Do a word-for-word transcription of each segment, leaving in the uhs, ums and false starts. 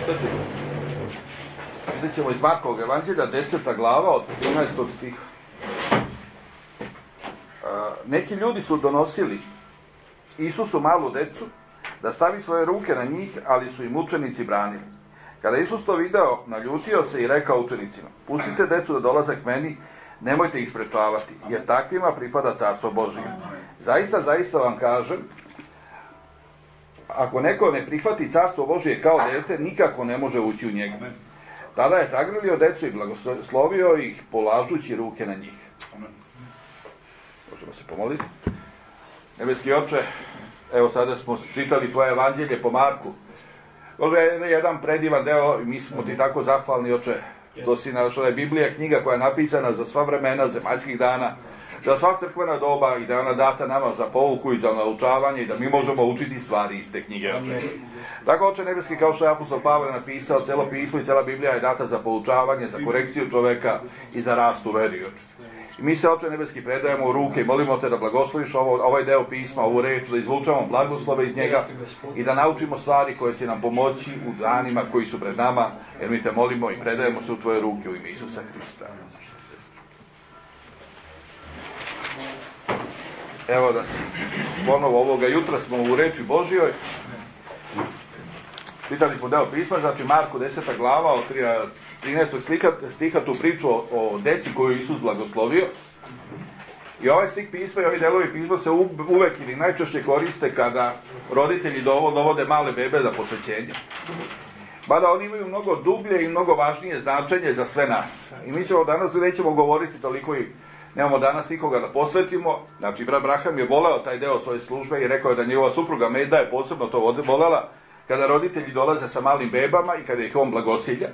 ostati. Vidjet ćemo iz Markovog evanđelja, deseta glava od trinaestog stiha. Neki ljudi su donosili Isusu malu decu da stavi svoje ruke na njih, ali su im učenici branili. Kada Isus to video, naljutio se i rekao učenicima: pustite decu da dolaze k meni, nemojte ih sprečavati, jer takvima pripada carstvo Božje. Zaista, zaista vam kažem, ako neko ne prihvati carstvo Božje kao dete, nikako ne može ući u njega. Tada je zagrlio decu i blagoslovio ih, polažući ruke na njih. Možemo se pomoliti. Nebeski Oče, evo sada smo čitali tvoje evanđelje po Marku. Ovo je jedan predivan deo i mi smo ti tako zahvalni, Oče, što si našao da je Biblija knjiga koja je napisana za sva vremena zemaljskih dana, za sva crkvena doba i da je ona data nama za pouku i za naučavanje i da mi možemo učiti stvari iz te knjige, Oče. Tako, Oče nebeski, kao što je apostol Pavle napisao, celo pismo i cela Biblija je data za poučavanje, za korekciju čoveka i za rast u veri, Oče. I mi se, Oče nebeski, predajemo u ruke i molimo te da blagosloviš ovo, ovaj deo pisma, ovu reč, da izvučamo blagoslove iz njega i da naučimo stvari koje će nam pomoći u danima koji su pred nama, jer mi te molimo i predajemo se u tvoje ruke u ime Isusa Hrista. Evo da si ponovo ovoga jutra smo u reči Božjoj. Čitali smo deo pisma, znači Marku deseta glava od trinaestog stiha tu priču o, o deci koju Isus blagoslovio. I ovaj stih pisma i ovi delovi pisma se uvek ili najčešće koriste kada roditelji dovode male bebe za posvećenje. Mada oni imaju mnogo dublje i mnogo važnije značenje za sve nas. I mi ćemo danas, nećemo govoriti toliko i nemamo danas nikoga da posvetimo. Znači, brat Braham je voleo taj deo svoje službe i rekao je da njegova supruga Meda je posebno to volela kada roditelji dolaze sa malim bebama i kada ih on blagosilja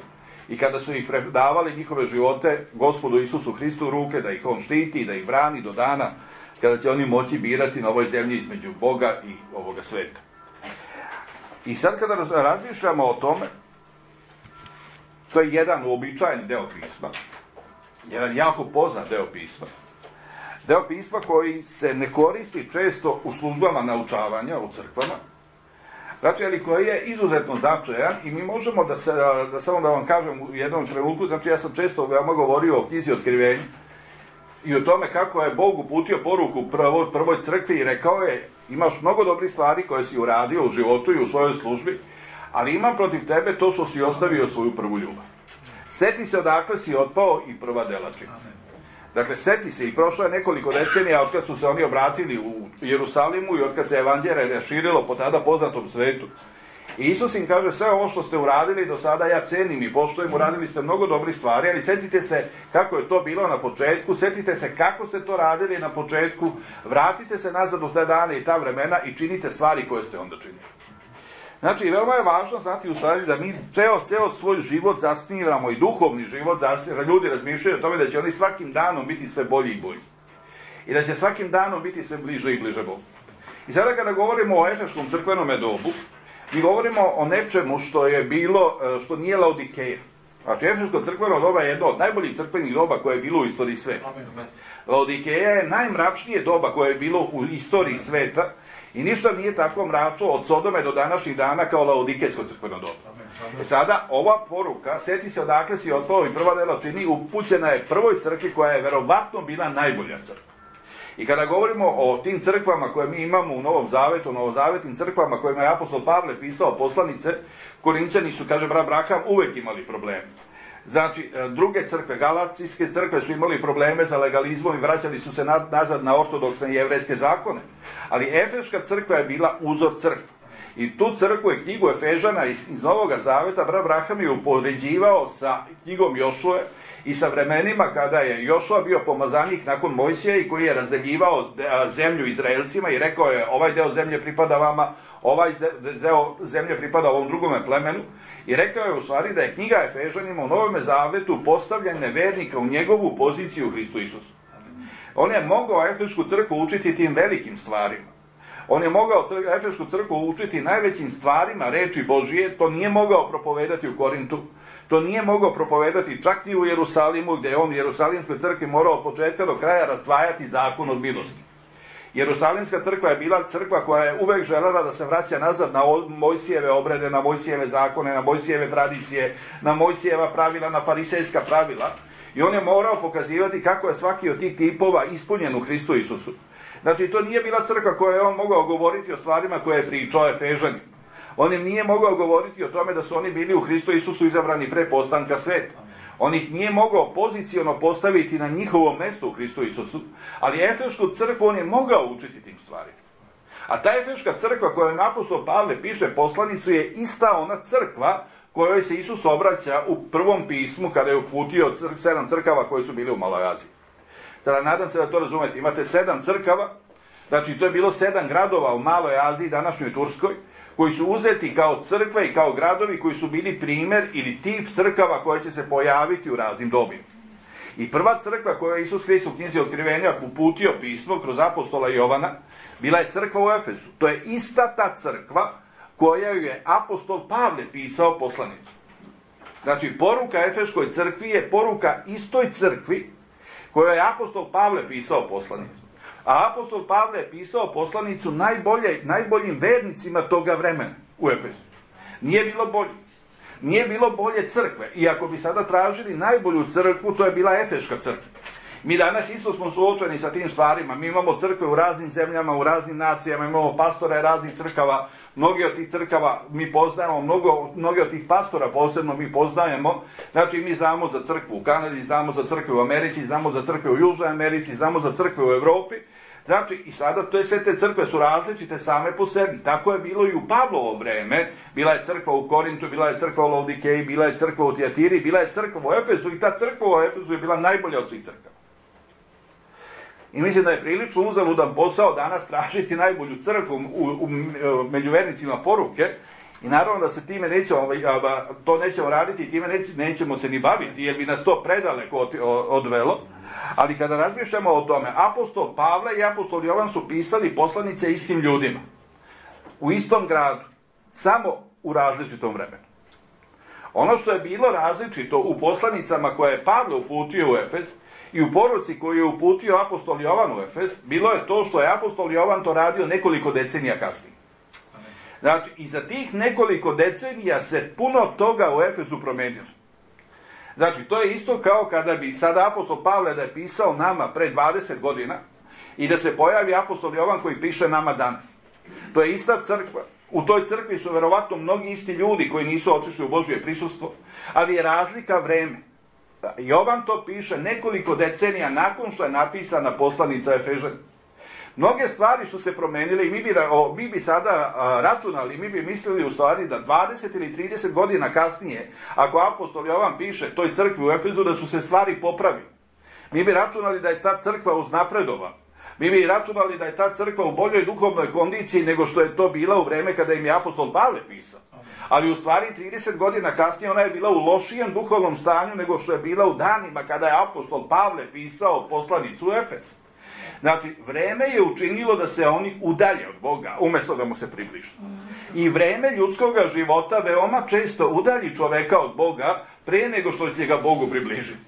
i kada su ih predavali njihove živote Gospodu Isusu Hristu u ruke, da ih on štiti, da ih brani do dana kada će oni moći birati na ovoj zemlji između Boga i ovoga sveta. I sad kada razmišljamo o tome, to je jedan uobičajeni deo pisma, jedan jako poznat deo pisma, deo pisma koji se ne koristi često u službama naučavanja u crkvama, znači, ali koji je izuzetno značajan i mi možemo da, se, da samo da vam kažem u jednom trenutku, znači ja sam često veoma govorio o knjizi Otkrivenja i o tome kako je Bog uputio poruku prvoj, prvoj crkvi i rekao je: imaš mnogo dobrih stvari koje si uradio u životu i u svojoj službi, ali imam protiv tebe to što si ostavio svoju prvu ljubav. Seti se odakle si otpao i prva dela čini. Dakle, seti se, i prošlo je nekoliko decenija od kad su se oni obratili u Jerusalimu i od kad se evanđelje raširilo po tada poznatom svetu. I Isus im kaže: sve ovo što ste uradili do sada ja cenim i poštujem, uradili ste mnogo dobrih stvari, ali setite se kako je to bilo na početku, setite se kako ste to radili na početku, vratite se nazad u te dane i ta vremena i činite stvari koje ste onda činili. Znači, veoma je važno znati u stvari da mi ceo, ceo svoj život zasnivamo i duhovni život zasnivamo. Ljudi razmišljaju o tome da će oni svakim danom biti sve bolji i bolji. I da će svakim danom biti sve bliže i bliže Bogu. I sada kada govorimo o efeškom crkvenom dobu, mi govorimo o nečemu što je bilo, što nije Laodikeja. Znači, efeško crkveno doba je jedno od najboljih crkvenih doba koje je bilo u istoriji sveta. Laodikeja je najmračnije doba koje je bilo u istoriji sveta i ništa nije tako mračno od Sodome do današnjih dana kao Laodikejsko crkveno doba. E sada, ova poruka, seti se odakle si otpao i prva dela čini, upućena je prvoj crkvi koja je verovatno bila najbolja crkva. I kada govorimo o tim crkvama koje mi imamo u Novom Zavetu, novozavetnim crkvama kojima je apostol Pavle pisao poslanice, Korinćani su, kaže brat Braham, uvek imali probleme. Znači, druge crkve, galacijske crkve su imali probleme sa legalizmom i vraćali su se nazad na ortodoksne i jevrejske zakone. Ali Efeška crkva je bila uzor crkva. I tu crkvu i knjigu Efežana iz, iz Novog Zaveta brat Braham je upoređivao sa knjigom Jošue i sa vremenima kada je Jošua bio pomazanik nakon Mojsija i koji je razdeljivao zemlju Izraelcima i rekao je: ovaj deo zemlje pripada vama, ovaj deo zemlje pripada ovom drugome plemenu. I rekao je u stvari da je knjiga Efežanima u Novom Zavetu postavljanje vernika u njegovu poziciju u Hristu Isusu. On je mogao Efešku crkvu učiti tim velikim stvarima. On je mogao Efešku crkvu učiti najvećim stvarima reči Božije, to nije mogao propovedati u Korintu, to nije mogao propovedati čak i u Jerusalimu, gdje je on u Jerusalimskoj crkvi morao od početka do kraja razdvajati zakon od milosti. Jerusalimska crkva je bila crkva koja je uvek želela da se vraća nazad na Mojsijeve obrede, na Mojsijeve zakone, na Mojsijeve tradicije, na Mojsijeva pravila, na farisejska pravila. I on je morao pokazivati kako je svaki od tih tipova ispunjen u Hristu Isusu. Znači, to nije bila crkva koja je on mogao govoriti o stvarima koje je pričao Efežani. On im nije mogao govoriti o tome da su oni bili u Hristu Isusu izabrani pre postanka sveta. On ih nije mogao poziciono postaviti na njihovom mestu u Hristu Isusu, ali Efešku crkvu on je mogao učiti tim stvarima. A ta Efeška crkva kojoj apostol Pavle piše poslanicu je ista ona crkva kojoj se Isus obraća u prvom pismu kada je uputio cr- sedam crkava koje su bile u Maloj Aziji. Sada, nadam se da to razumete. Imate sedam crkava, znači to je bilo sedam gradova u Maloj Aziji, današnjoj Turskoj, koji su uzeti kao crkve i kao gradovi koji su bili primer ili tip crkava koje će se pojaviti u raznim dobima. I prva crkva koju je Isus Hrist u knjizi Otkrivenja uputio pismo kroz apostola Jovana, bila je crkva u Efesu. To je ista ta crkva koja je apostol Pavle pisao poslanicu. Znači, poruka Efeškoj crkvi je poruka istoj crkvi kojoj je apostol Pavle pisao poslanicu. A apostol Pavle je pisao poslanicu najbolje, najboljim vernicima toga vremena u Efesu. Nije bilo bolje. Nije bilo bolje crkve. I ako bi sada tražili najbolju crkvu, to je bila Efeška crkva. Mi danas isto smo suočeni sa tim stvarima. Mi imamo crkve u raznim zemljama, u raznim nacijama, imamo pastore raznih crkava. Mnogi od tih crkava mi poznajemo, mnogo, mnogi od tih pastora posebno mi poznajemo. Znači, mi znamo za crkvu u Kanadi, znamo za crkve u Americi, znamo za crkve u Južnoj Americi, znamo za crkve u Evropi. Znači, i sada to je, sve te crkve su različite same po sebi. Tako je bilo i u Pavlovo vreme. Bila je crkva u Korintu, bila je crkva u Laodikeji, bila je crkva u Tijatiri, bila je crkva u Efesu i ta crkva u Efesu je bila najbolja od svih crkava. I mislim da je prilično uzaludan posao danas tražiti najbolju crkvu u, u, u međuvernicima poruke i naravno da se time nećemo, to nećemo raditi i time nećemo se ni baviti jer bi nas to predaleko odvelo. Ali kada razmišljamo o tome, apostol Pavle i apostol Jovan su pisali poslanice istim ljudima. U istom gradu. Samo u različitom vremenu. Ono što je bilo različito u poslanicama koje je Pavle uputio u Efes i u poruci koju je uputio apostol Jovan u Efes, bilo je to što je apostol Jovan to radio nekoliko decenija kasnije. Znači, i za tih nekoliko decenija se puno toga u Efesu promenilo. Znači, to je isto kao kada bi sada apostol Pavle da je pisao nama pre dvadeset godina i da se pojavi apostol Jovan koji piše nama danas. To je ista crkva. U toj crkvi su verovatno mnogi isti ljudi koji nisu otišli u Božje prisustvo, ali je razlika vreme. Jovan to piše nekoliko decenija nakon što je napisana poslanica Efežana. Mnoge stvari su se promenile i mi bi, o, mi bi sada a, računali, mi bi mislili u stvari da dvadeset ili trideset godina kasnije, ako apostol Jovan piše toj crkvi u Efezu, da su se stvari popravile. Mi bi računali da je ta crkva uznapredovala. Mi bi računali da je ta crkva u boljoj duhovnoj kondiciji nego što je to bila u vreme kada im je apostol Pavle pisao. Ali u stvari trideset godina kasnije ona je bila u lošijem duhovnom stanju nego što je bila u danima kada je apostol Pavle pisao poslanicu u Efes. Znači, vreme je učinilo da se oni udalje od Boga, umjesto da mu se približe. I vreme ljudskog života veoma često udalji čoveka od Boga pre nego što će ga Bogu približiti.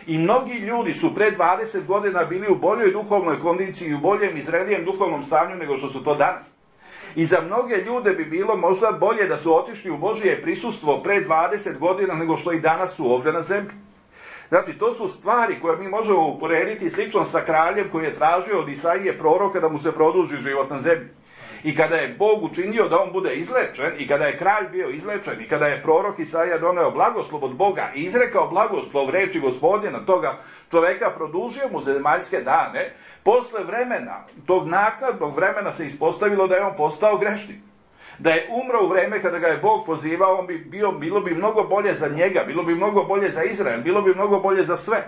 I mnogi ljudi su pre dvadeset godina bili u boljoj duhovnoj kondiciji i u boljem i zrelijem duhovnom stanju nego što su to danas. I za mnoge ljude bi bilo možda bolje da su otišli u Božje prisustvo pre dvadeset godina nego što i danas su ovdje na zemlji. Znači, to su stvari koje mi možemo uporediti slično sa kraljem koji je tražio od Isaije proroka da mu se produži život na zemlji. I kada je Bog učinio da on bude izlečen, i kada je kralj bio izlečen, i kada je prorok Isaija doneo blagoslov od Boga i izrekao blagoslov reči Gospodina toga čoveka, produžio mu zemaljske dane, posle vremena, tog naknadnog vremena se ispostavilo da je on postao grešnik. Da je umro u vreme kada ga je Bog pozivao, on bi bio, bilo bi mnogo bolje za njega, bilo bi mnogo bolje za Izrael, bilo bi mnogo bolje za sve.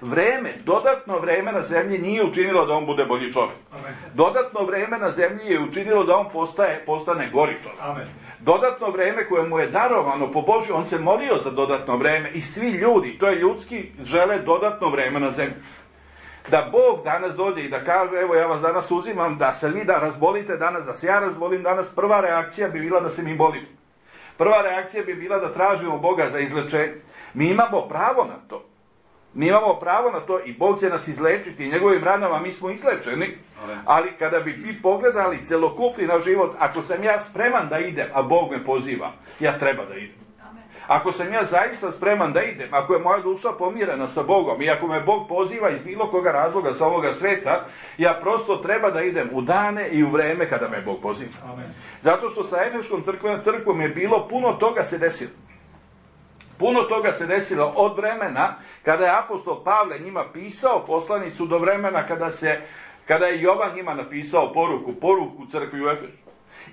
Vreme, dodatno vreme na zemlji nije učinilo da on bude bolji čovjek. Amen. Dodatno vreme na zemlji je učinilo da on postaje, postane gori čovjek. Amen. Dodatno vreme koje mu je darovano po Božju, on se molio za dodatno vreme i svi ljudi, to je ljudski, žele dodatno vreme na zemlji. Da Bog danas dođe i da kaže, evo ja vas danas uzimam, da se vi da razbolite danas, da se ja razbolim danas, prva reakcija bi bila da se mi bolimo. Prva reakcija bi bila da tražimo Boga za izlečenje. Mi imamo pravo na to. Mi imamo pravo na to i Bog će nas izlečiti i njegovim ranama mi smo izlečeni, ali kada bi vi pogledali celokupni na život, ako sam ja spreman da idem, a Bog me poziva, ja treba da idem. Ako sam ja zaista spreman da idem, ako je moja duša pomirena sa Bogom i ako me Bog poziva iz bilo koga razloga sa ovoga sveta, ja prosto treba da idem u dane i u vreme kada me Bog poziva. Amen. Zato što sa Efeškom crkvom, crkvom je bilo puno toga se desilo. Puno toga se desilo od vremena kada je apostol Pavle njima pisao poslanicu do vremena kada, se, kada je Jovan njima napisao poruku, poruku crkvi u Efesu.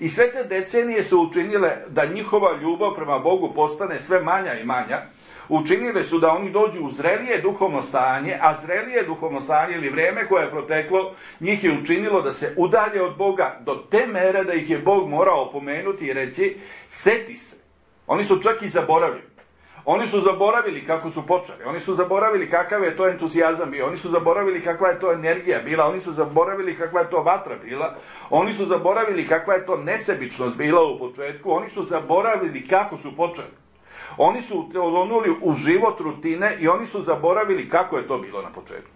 I sve te decenije su učinile da njihova ljubav prema Bogu postane sve manja i manja. Učinile su da oni dođu u zrelije duhovno stanje, a zrelije duhovno stanje ili vrijeme koje je proteklo, njih je učinilo da se udalje od Boga do te mere da ih je Bog morao opomenuti i reći, seti se. Oni su čak i zaboravili. Oni su zaboravili kako su počeli, oni su zaboravili kakav je to entuzijazam bio, oni su zaboravili kakva je to energija bila, oni su zaboravili kakva je to vatra bila, oni su zaboravili kakva je to nesebičnost bila u početku, oni su zaboravili kako su počeli. Oni su onuli u život rutine i oni su zaboravili kako je to bilo na početku.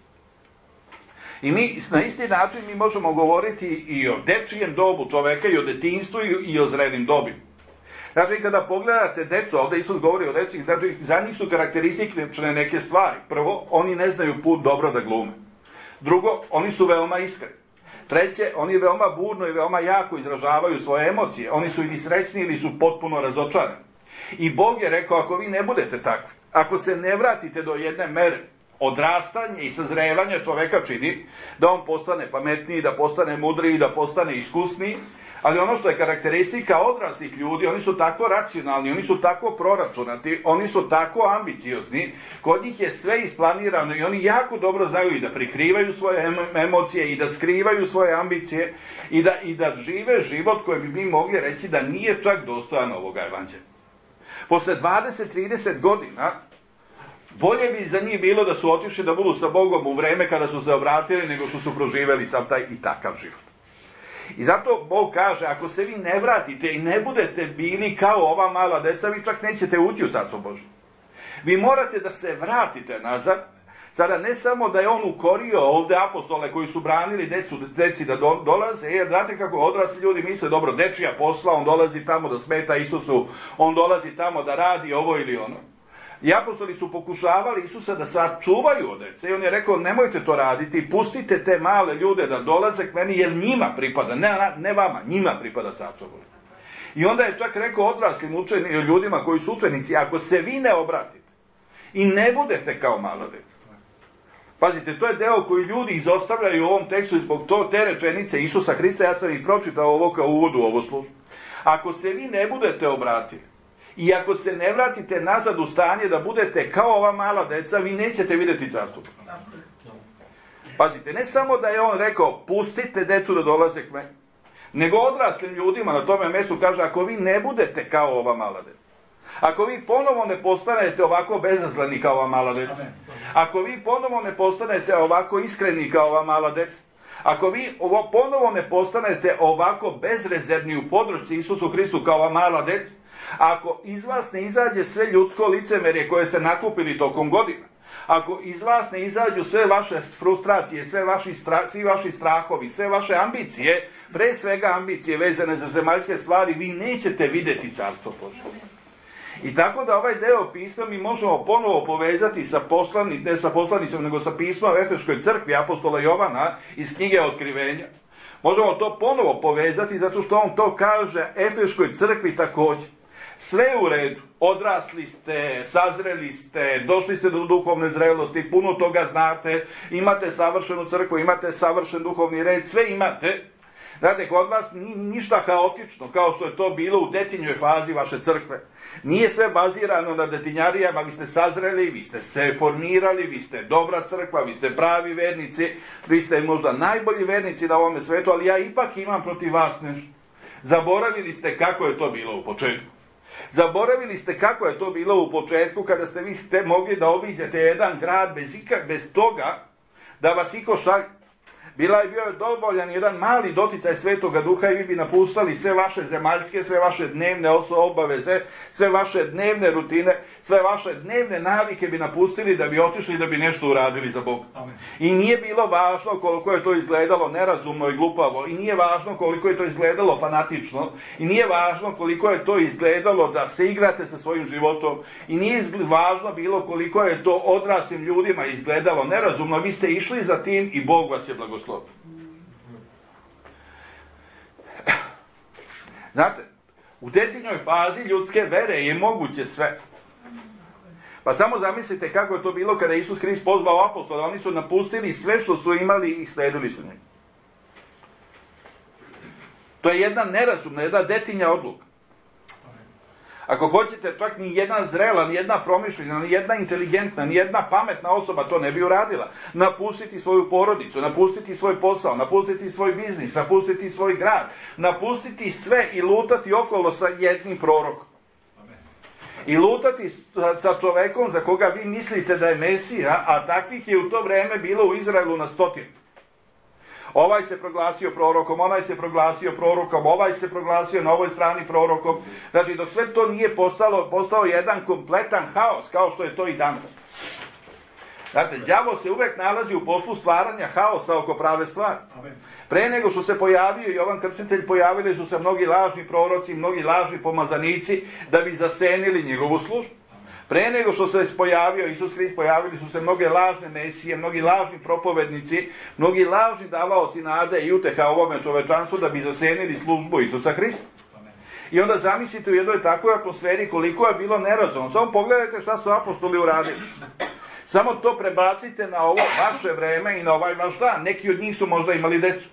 I mi na isti način mi možemo govoriti i o dečijem dobu čoveka, i o detinjstvu, i o zrelim dobima. Znači, kada pogledate decu, ovdje Isus govori o deci, znači, za njih su karakteristične neke stvari. Prvo, oni ne znaju put dobro da glume. Drugo, oni su veoma iskreni. Treće, oni veoma burno i veoma jako izražavaju svoje emocije. Oni su ili srećni ili su potpuno razočarani. I Bog je rekao, ako vi ne budete takvi, ako se ne vratite do jedne mere, odrastanje i sazrevanje čoveka čini da on postane pametniji, da postane mudriji, da postane iskusniji. Ali ono što je karakteristika odraslih ljudi, oni su tako racionalni, oni su tako proračunati, oni su tako ambiciozni, kod njih je sve isplanirano i oni jako dobro znaju i da prikrivaju svoje emocije i da skrivaju svoje ambicije i da, i da žive život koji bi mi mogli reći da nije čak dostojan ovoga evanđelja. Posle dvadeset trideset godina, bolje bi za njih bilo da su otišli da budu sa Bogom u vreme kada su se obratili nego što su proživeli sam taj i takav život. I zato Bog kaže, ako se vi ne vratite i ne budete bili kao ova mala deca, vi čak nećete ući u Carstvo Božje. Vi morate da se vratite nazad. Sada ne samo da je on ukorio ovdje apostole koji su branili decu, deci da do, dolaze, jer znate kako odrasli ljudi misle, dobro, dečija posla, on dolazi tamo da smeta Isusu, on dolazi tamo da radi ovo ili ono. I apostoli su pokušavali Isusa da sačuvaju od dece i on je rekao, nemojte to raditi, pustite te male ljude da dolaze k meni jer njima pripada, ne, ne vama, njima pripada Carstvo Božje. I onda je čak rekao odraslim učeni, ljudima koji su učenici, ako se vi ne obratite i ne budete kao mala deca. Pazite, to je deo koji ljudi izostavljaju u ovom tekstu i zbog to te rečenice Isusa Hrista, ja sam i pročitao ovo kao uvodu u ovo službu. Ako se vi ne budete obratili i ako se ne vratite nazad u stanje da budete kao ova mala deca, vi nećete vidjeti Carstvo. Pazite, ne samo da je on rekao, pustite decu da dolaze k meni, nego odraslim ljudima na tome mjestu kaže, ako vi ne budete kao ova mala deca, ako vi ponovo ne postanete ovako bezazleni kao ova mala deca, ako vi ponovo ne postanete ovako iskreni kao ova mala deca, ako vi ovo ponovo ne postanete ovako bezrezervni u podršci Isusu Hristu kao ova mala deca, ako iz vas ne izađe sve ljudsko licemerje koje ste nakupili tokom godina, ako iz vas ne izađu sve vaše frustracije, sve vaši stra, svi vaši strahovi, sve vaše ambicije, pre svega ambicije vezane za zemaljske stvari, vi nećete vidjeti Carstvo Božje. I tako da ovaj deo pisma mi možemo ponovo povezati sa poslani, ne sa poslanicom, nego sa pismom u Efeškoj crkvi apostola Jovana iz knjige Otkrivenja. Možemo to ponovo povezati zato što on to kaže Efeškoj crkvi također. Sve u redu, odrasli ste, sazreli ste, došli ste do duhovne zrelosti, puno toga znate, imate savršenu crkvu, imate savršen duhovni red, sve imate. Znate, kod vas nije ništa haotično, kao što je to bilo u detinjoj fazi vaše crkve. Nije sve bazirano na detinjarijama, vi ste sazreli, vi ste se formirali, vi ste dobra crkva, vi ste pravi vernici, vi ste možda najbolji vernici na ovome svetu, ali ja ipak imam protiv vas nešto. Zaboravili ste kako je to bilo u početku. Zaboravili ste kako je to bilo u početku kada ste vi ste mogli da obiđete jedan grad bez, ikak, bez toga da vas iko šalje. Bila je bio je dovoljan jedan mali doticaj Svetoga Duha i vi bi napuštali sve vaše zemaljske, sve vaše dnevne obaveze, sve vaše dnevne rutine, sve vaše dnevne navike bi napustili da bi otišli da bi nešto uradili za Boga. Amen. I nije bilo važno koliko je to izgledalo nerazumno i glupavo, i nije važno koliko je to izgledalo fanatično, i nije važno koliko je to izgledalo da se igrate sa svojim životom, i nije važno bilo koliko je to odraslim ljudima izgledalo nerazumno. Vi ste išli za tim i Bog vas je blagoslovio. Znate, u detaljnoj fazi ljudske vere je moguće sve. Pa samo zamislite kako je to bilo kada Isus Hrist pozvao apostola. Oni su napustili sve što su imali i sledili su njega. To je jedna nerazumna, jedna detaljna odluka. Ako hoćete, čak ni jedna zrela, ni jedna promišljena, ni jedna inteligentna, ni jedna pametna osoba to ne bi uradila. Napustiti svoju porodicu, napustiti svoj posao, napustiti svoj biznis, napustiti svoj grad, napustiti sve i lutati okolo sa jednim prorokom. I lutati sa čovekom za koga vi mislite da je Mesija, a takvih je u to vreme bilo u Izraelu na stotinu. Ovaj se proglasio prorokom, onaj se proglasio prorokom, ovaj se proglasio na ovoj strani prorokom. Znači, dok sve to nije postalo, postao jedan kompletan haos, kao što je to i danas. Znate, đavo se uvek nalazi u poslu stvaranja haosa oko prave stvari. Pre nego što se pojavio Jovan Krstitelj, pojavili su se mnogi lažni proroci, mnogi lažni pomazanici, da bi zasenili njegovu službu. Pre nego što se pojavio Isus Hrist, pojavili su se mnoge lažne mesije, mnogi lažni propovednici, mnogi lažni davaoci nade i uteha ovome čovečanstvu da bi zasenili službu Isusa Hrista. I onda zamislite u jednoj takvoj atmosferi koliko je bilo nerazumno. Samo pogledajte šta su apostoli uradili. Samo to prebacite na ovo vaše vreme i na ovaj vaš dan. Neki od njih su možda imali decu.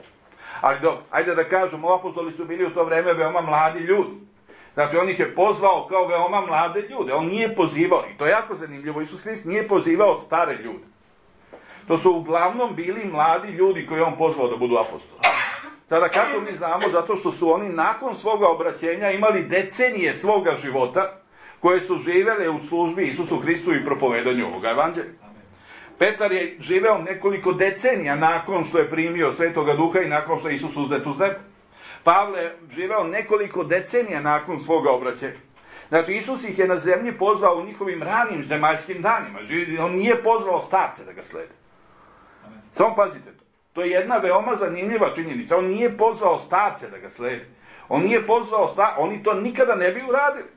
Ali dobro, ajde da kažemo, apostoli su bili u to vreme veoma mladi ljudi. Znači, on ih je pozvao kao veoma mlade ljude. On nije pozivao, i to je jako zanimljivo, Isus Hrist nije pozivao stare ljude. To su uglavnom bili mladi ljudi koji je on pozvao da budu apostoli. Sada kako mi znamo? Zato što su oni nakon svoga obraćenja imali decenije svoga života koje su živele u službi Isusu Hristu i propovedanju ovoga evanđelja. Petar je živeo nekoliko decenija nakon što je primio Svetoga Duha i nakon što je Isus uzet uz nebo. Pavle je živeo nekoliko decenija nakon svoga obraćenja. Znači, Isus ih je na zemlji pozvao u njihovim ranim zemaljskim danima. On nije pozvao starce da ga slede. Samo pazite to. To je jedna veoma zanimljiva činjenica. On nije pozvao starce da ga slede. On nije pozvao starce. Oni to nikada ne bi uradili.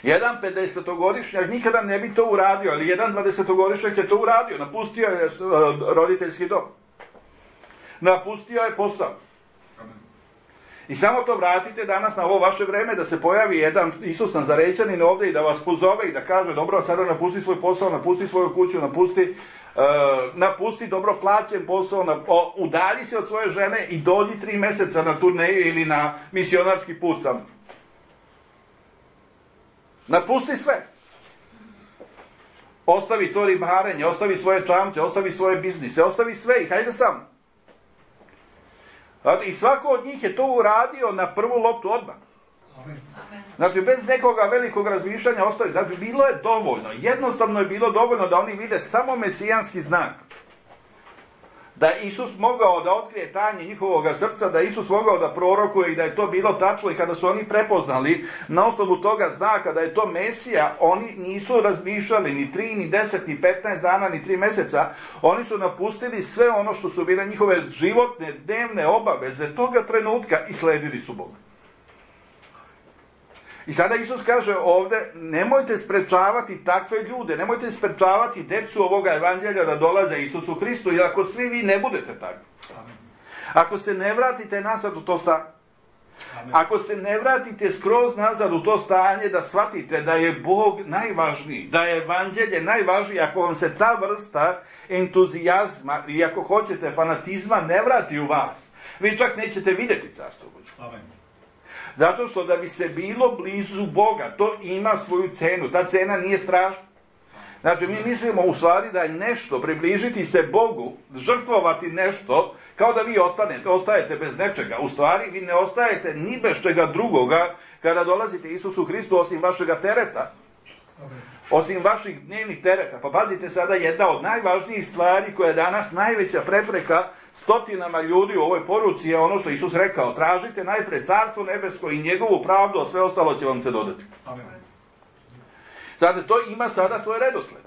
Jedan pedesetogodišnjak nikada ne bi to uradio, ali jedan dvadesetogodišnjak je to uradio. Napustio je roditeljski dom. Napustio je posao. I samo to vratite danas na ovo vaše vreme da se pojavi jedan Isus Nazarećanin ovdje i da vas pozove i da kaže dobro, sada napusti svoj posao, napusti svoju kuću, napusti, uh, napusti dobro plaćen posao, na, o, udalji se od svoje žene i dođi tri meseca na turneju ili na misionarski put sam. Napusti sve. Ostavi to ribarenje, ostavi svoje čamce, ostavi svoje biznise, ostavi sve i hajde sam. I svako od njih je to uradio na prvu loptu odmah. Znači, bez nekoga velikog razmišljanja ostavi. Znači, bilo je dovoljno. Jednostavno je bilo dovoljno da oni vide samo mesijanski znak. Da je Isus mogao da otkrije tajne njihovog srca, da je Isus mogao da prorokuje i da je to bilo tačno. I kada su oni prepoznali na osnovu toga znaka da je to Mesija, oni nisu razmišljali ni tri, ni deset, ni petnaest dana, ni tri meseca. Oni su napustili sve ono što su bile njihove životne, dnevne obaveze toga trenutka i sledili su Boga. I sada Isus kaže ovde, nemojte sprečavati takve ljude, nemojte sprečavati decu ovoga evanđelja da dolaze Isusu Hristu, jer ako svi vi ne budete takvi, ako se ne vratite nazad u to stanje, ako se ne vratite skroz nazad u to stanje da shvatite da je Bog najvažniji, da je evanđelje najvažnije, ako vam se ta vrsta entuzijazma i ako hoćete fanatizma ne vrati u vas, vi čak nećete vidjeti carstvo Božje. Amen. Zato što da bi se bilo blizu Boga, to ima svoju cenu. Ta cena nije strašna. Znači, mi mislimo u stvari da je nešto, približiti se Bogu, žrtvovati nešto, kao da vi ostanete, ostajete bez nečega. U stvari, vi ne ostajete ni bez čega drugoga kada dolazite Isusu Hristu osim vašega tereta. Osim vaših dnevnih tereta. Pa pazite sada, jedna od najvažnijih stvari koja je danas najveća prepreka stotinama ljudi u ovoj poruci je ono što Isus rekao. Tražite najpred carstvo nebesko i njegovu pravdu, a sve ostalo će vam se dodati. Amen. Znate, to ima sada svoj redosled.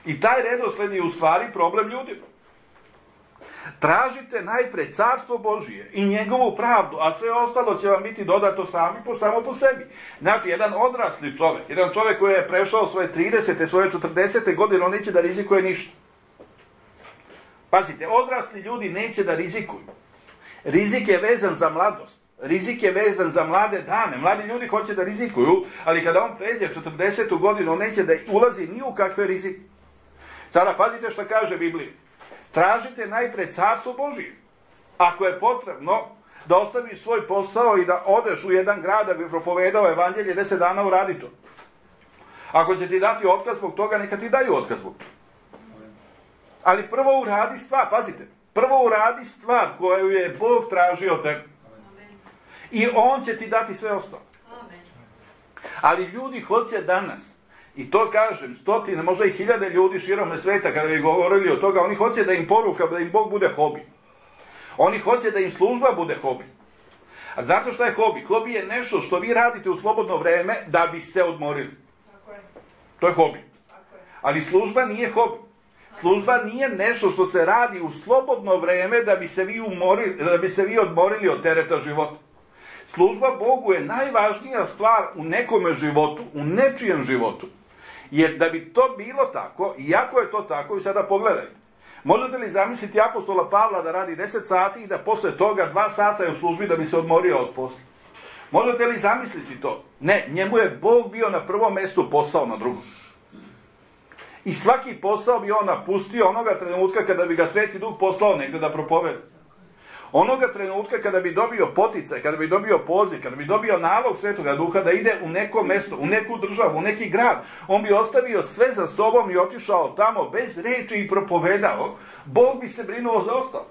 I taj redosled je u stvari problem ljudima. Tražite najpred carstvo Božije i njegovu pravdu, a sve ostalo će vam biti dodato sami po, samo po sebi. Znači, jedan odrasli čovjek, jedan čovjek koji je prešao svoje tridesete, svoje četrdesete godine, on neće da rizikuje ništa. Pazite, odrasli ljudi neće da rizikuju. Rizik je vezan za mladost. Rizik je vezan za mlade dane. Mladi ljudi hoće da rizikuju, ali kada on pređe četrdesetu godinu, on neće da ulazi ni u kakve rizike. Sada pazite što kaže Biblija. Tražite najpred carstvo Božije. Ako je potrebno da ostaviš svoj posao i da odeš u jedan grad da bi propovedao evanđelje, deset dana uradi to. Ako će ti dati otkaz zbog toga, neka ti daju otkaz zbog toga. Ali prvo uradi stvar, pazite, prvo uradi stvar koju je Bog tražio od tebe. I on će ti dati sve ostalo. Ali ljudi hoće danas, i to kažem, stotine, možda i hiljade ljudi širom sveta, kada bi govorili o toga, oni hoće da im poruka, da im Bog bude hobi. Oni hoće da im služba bude hobi. A znate šta je hobi? Hobi je nešto što vi radite u slobodno vreme da bi se odmorili. To je hobi. Ali služba nije hobi. Služba nije nešto što se radi u slobodno vreme da bi se vi umorili, da bi se vi odmorili od tereta života. Služba Bogu je najvažnija stvar u nekome životu, u nečijem životu. Jer da bi to bilo tako, iako je to tako, i sada pogledajte, možete li zamisliti apostola Pavla da radi deset sati i da posle toga dva sata je u službi da bi se odmorio od posla? Možete li zamisliti to? Ne, njemu je Bog bio na prvom mjestu, posao na drugom. I svaki posao bi on napustio onoga trenutka kada bi ga Sveti Duh poslao negdje da propoveda. Onoga trenutka kada bi dobio poticaj, kada bi dobio poziv, kada bi dobio nalog Svetoga Duha da ide u neko mjesto, u neku državu, u neki grad, on bi ostavio sve za sobom i otišao tamo bez reči i propovedao. Bog bi se brinuo za ostalo.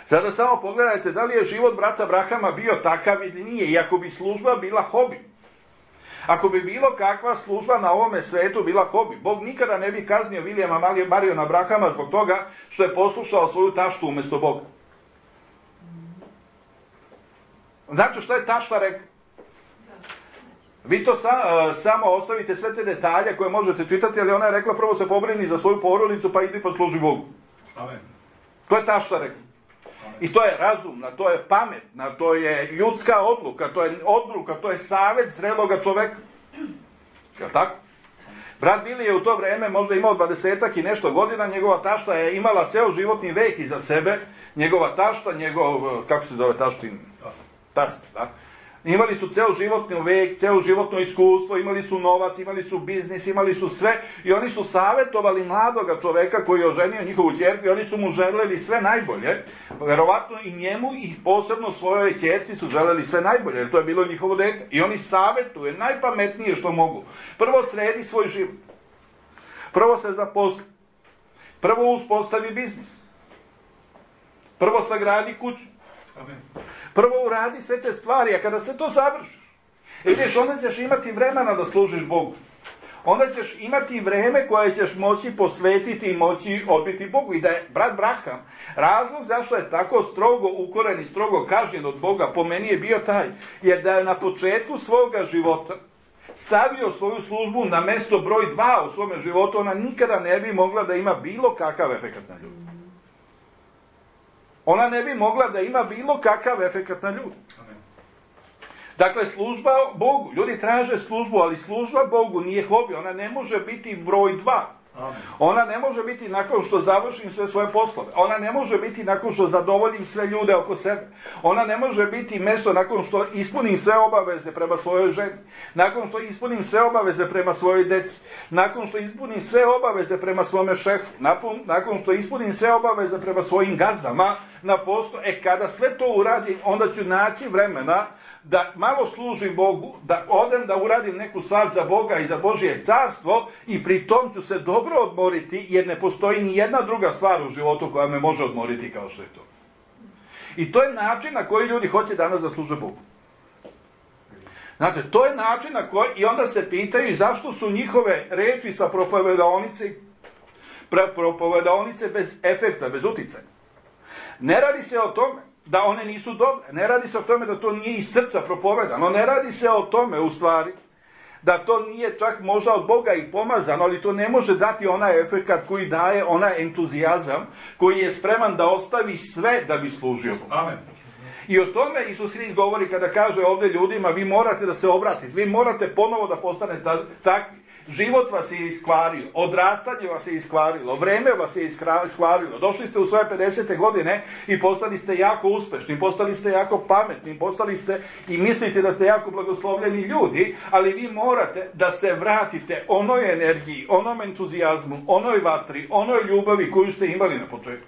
Sada samo pogledajte da li je život brata Brahama bio takav ili nije, i ako bi služba bila hobi. Ako bi bilo kakva služba na ovome svetu bila hobi, Bog nikada ne bi kaznio Vilijama Mariona Brahama zbog toga što je poslušao svoju taštu umjesto Boga. Znači šta je tašta rekla? Vi to sa, uh, samo ostavite sve te detalje koje možete čitati, ali ona je rekla prvo se pobrini za svoju porodicu pa idi posluži Bogu. Amen. To je tašta rekla. I to je razumna, to je pametna, to je ljudska odluka, to je odluka, to je savjet zreloga čoveka. Jel' tako? Brat Bili je u to vrijeme možda imao dvadesetak i nešto godina, njegova tašta je imala ceo životni vek iza sebe, njegova tašta, njegov, kako se zove taštin? Tast, da? Imali su ceo životni vek, ceo životno iskustvo, imali su novac, imali su biznis, imali su sve i oni su savjetovali mladoga čoveka koji je oženio njihovu ćerku i oni su mu želeli sve najbolje. Verovatno i njemu i posebno svojoj ćerci su želeli sve najbolje, jer to je bilo njihovo dete. I oni savjetuje najpametnije što mogu. Prvo sredi svoj život. Prvo se zaposli. Prvo uspostavi biznis. Prvo sagradi kuću. Amen. Prvo uradi sve te stvari, a kada sve to završiš, vidiš, onda ćeš imati vremena da služiš Bogu. Onda ćeš imati vreme koje ćeš moći posvetiti i moći odbiti Bogu. I da je brat Braham razlog zašto je tako strogo ukoren i strogo kažnjen od Boga, po meni je bio taj, jer da je na početku svoga života stavio svoju službu na mjesto broj dva u svome životu, ona nikada ne bi mogla da ima bilo kakav efekat na ljudi. Ona ne bi mogla da ima bilo kakav efekat na ljudi. Dakle, služba Bogu. Ljudi traže službu, ali služba Bogu nije hobi. Ona ne može biti broj dva. Ona ne može biti nakon što završim sve svoje poslove. Ona ne može biti nakon što zadovoljim sve ljude oko sebe. Ona ne može biti mjesto nakon što ispunim sve obaveze prema svojoj ženi. Nakon što ispunim sve obaveze prema svojoj deci. Nakon što ispunim sve obaveze prema svome šefu. Nakon, nakon što ispunim sve obaveze prema svojim gazdama na poslu. E, kada sve to uradim, onda ću naći vremena da malo služim Bogu, da odem da uradim neku stvar za Boga i za Božje carstvo i pri tom ću se dobro odmoriti, jer ne postoji ni jedna druga stvar u životu koja me može odmoriti kao što je to. I to je način na koji ljudi hoće danas da služe Bogu. Znate, to je način na koji, i onda se pitaju zašto su njihove reči sa propovedaonice, propovedaonice bez efekta, bez uticaja. Ne radi se o tome da one nisu dobre, ne radi se o tome da to nije iz srca propovedano, ne radi se o tome u stvari da to nije čak možda od Boga i pomazano, ali to ne može dati onaj efekat koji daje onaj entuzijazam, koji je spreman da ostavi sve da bi služio Bogu. Amen. I o tome Isus Hrist govori kada kaže ovdje ljudima, vi morate da se obratite, vi morate ponovo da postanete takvi. Život vas je iskvario, odrastanje vas je iskvarilo, vreme vas je iskvarilo, došli ste u svoje pedesete godine i postali ste jako uspešni, postali ste jako pametni, postali ste i mislite da ste jako blagoslovljeni ljudi, ali vi morate da se vratite onoj energiji, onom entuzijazmu, onoj vatri, onoj ljubavi koju ste imali na početku.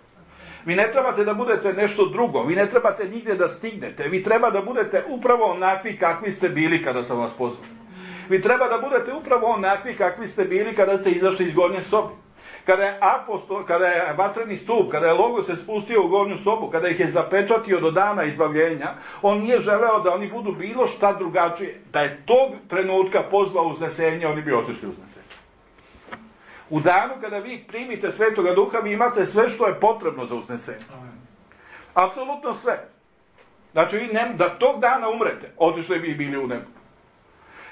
Vi ne trebate da budete nešto drugo, vi ne trebate nigdje da stignete, vi treba da budete upravo onakvi kakvi ste bili kada sam vas pozvao. Vi treba da budete upravo onakvi kakvi ste bili kada ste izašli iz gornje sobe. Kada je apostol, kada je vatreni stup, kada je Logos se spustio u gornju sobu, kada ih je zapečatio do dana izbavljenja, on nije želeo da oni budu bilo šta drugačije. Da je tog trenutka pozvao uznesenje, oni bi otišli uznesenje. U danu kada vi primite Svetoga Duha, vi imate sve što je potrebno za uznesenje. Apsolutno sve. Znači, vi ne, da tog dana umrete, otišli bi bili u nebo.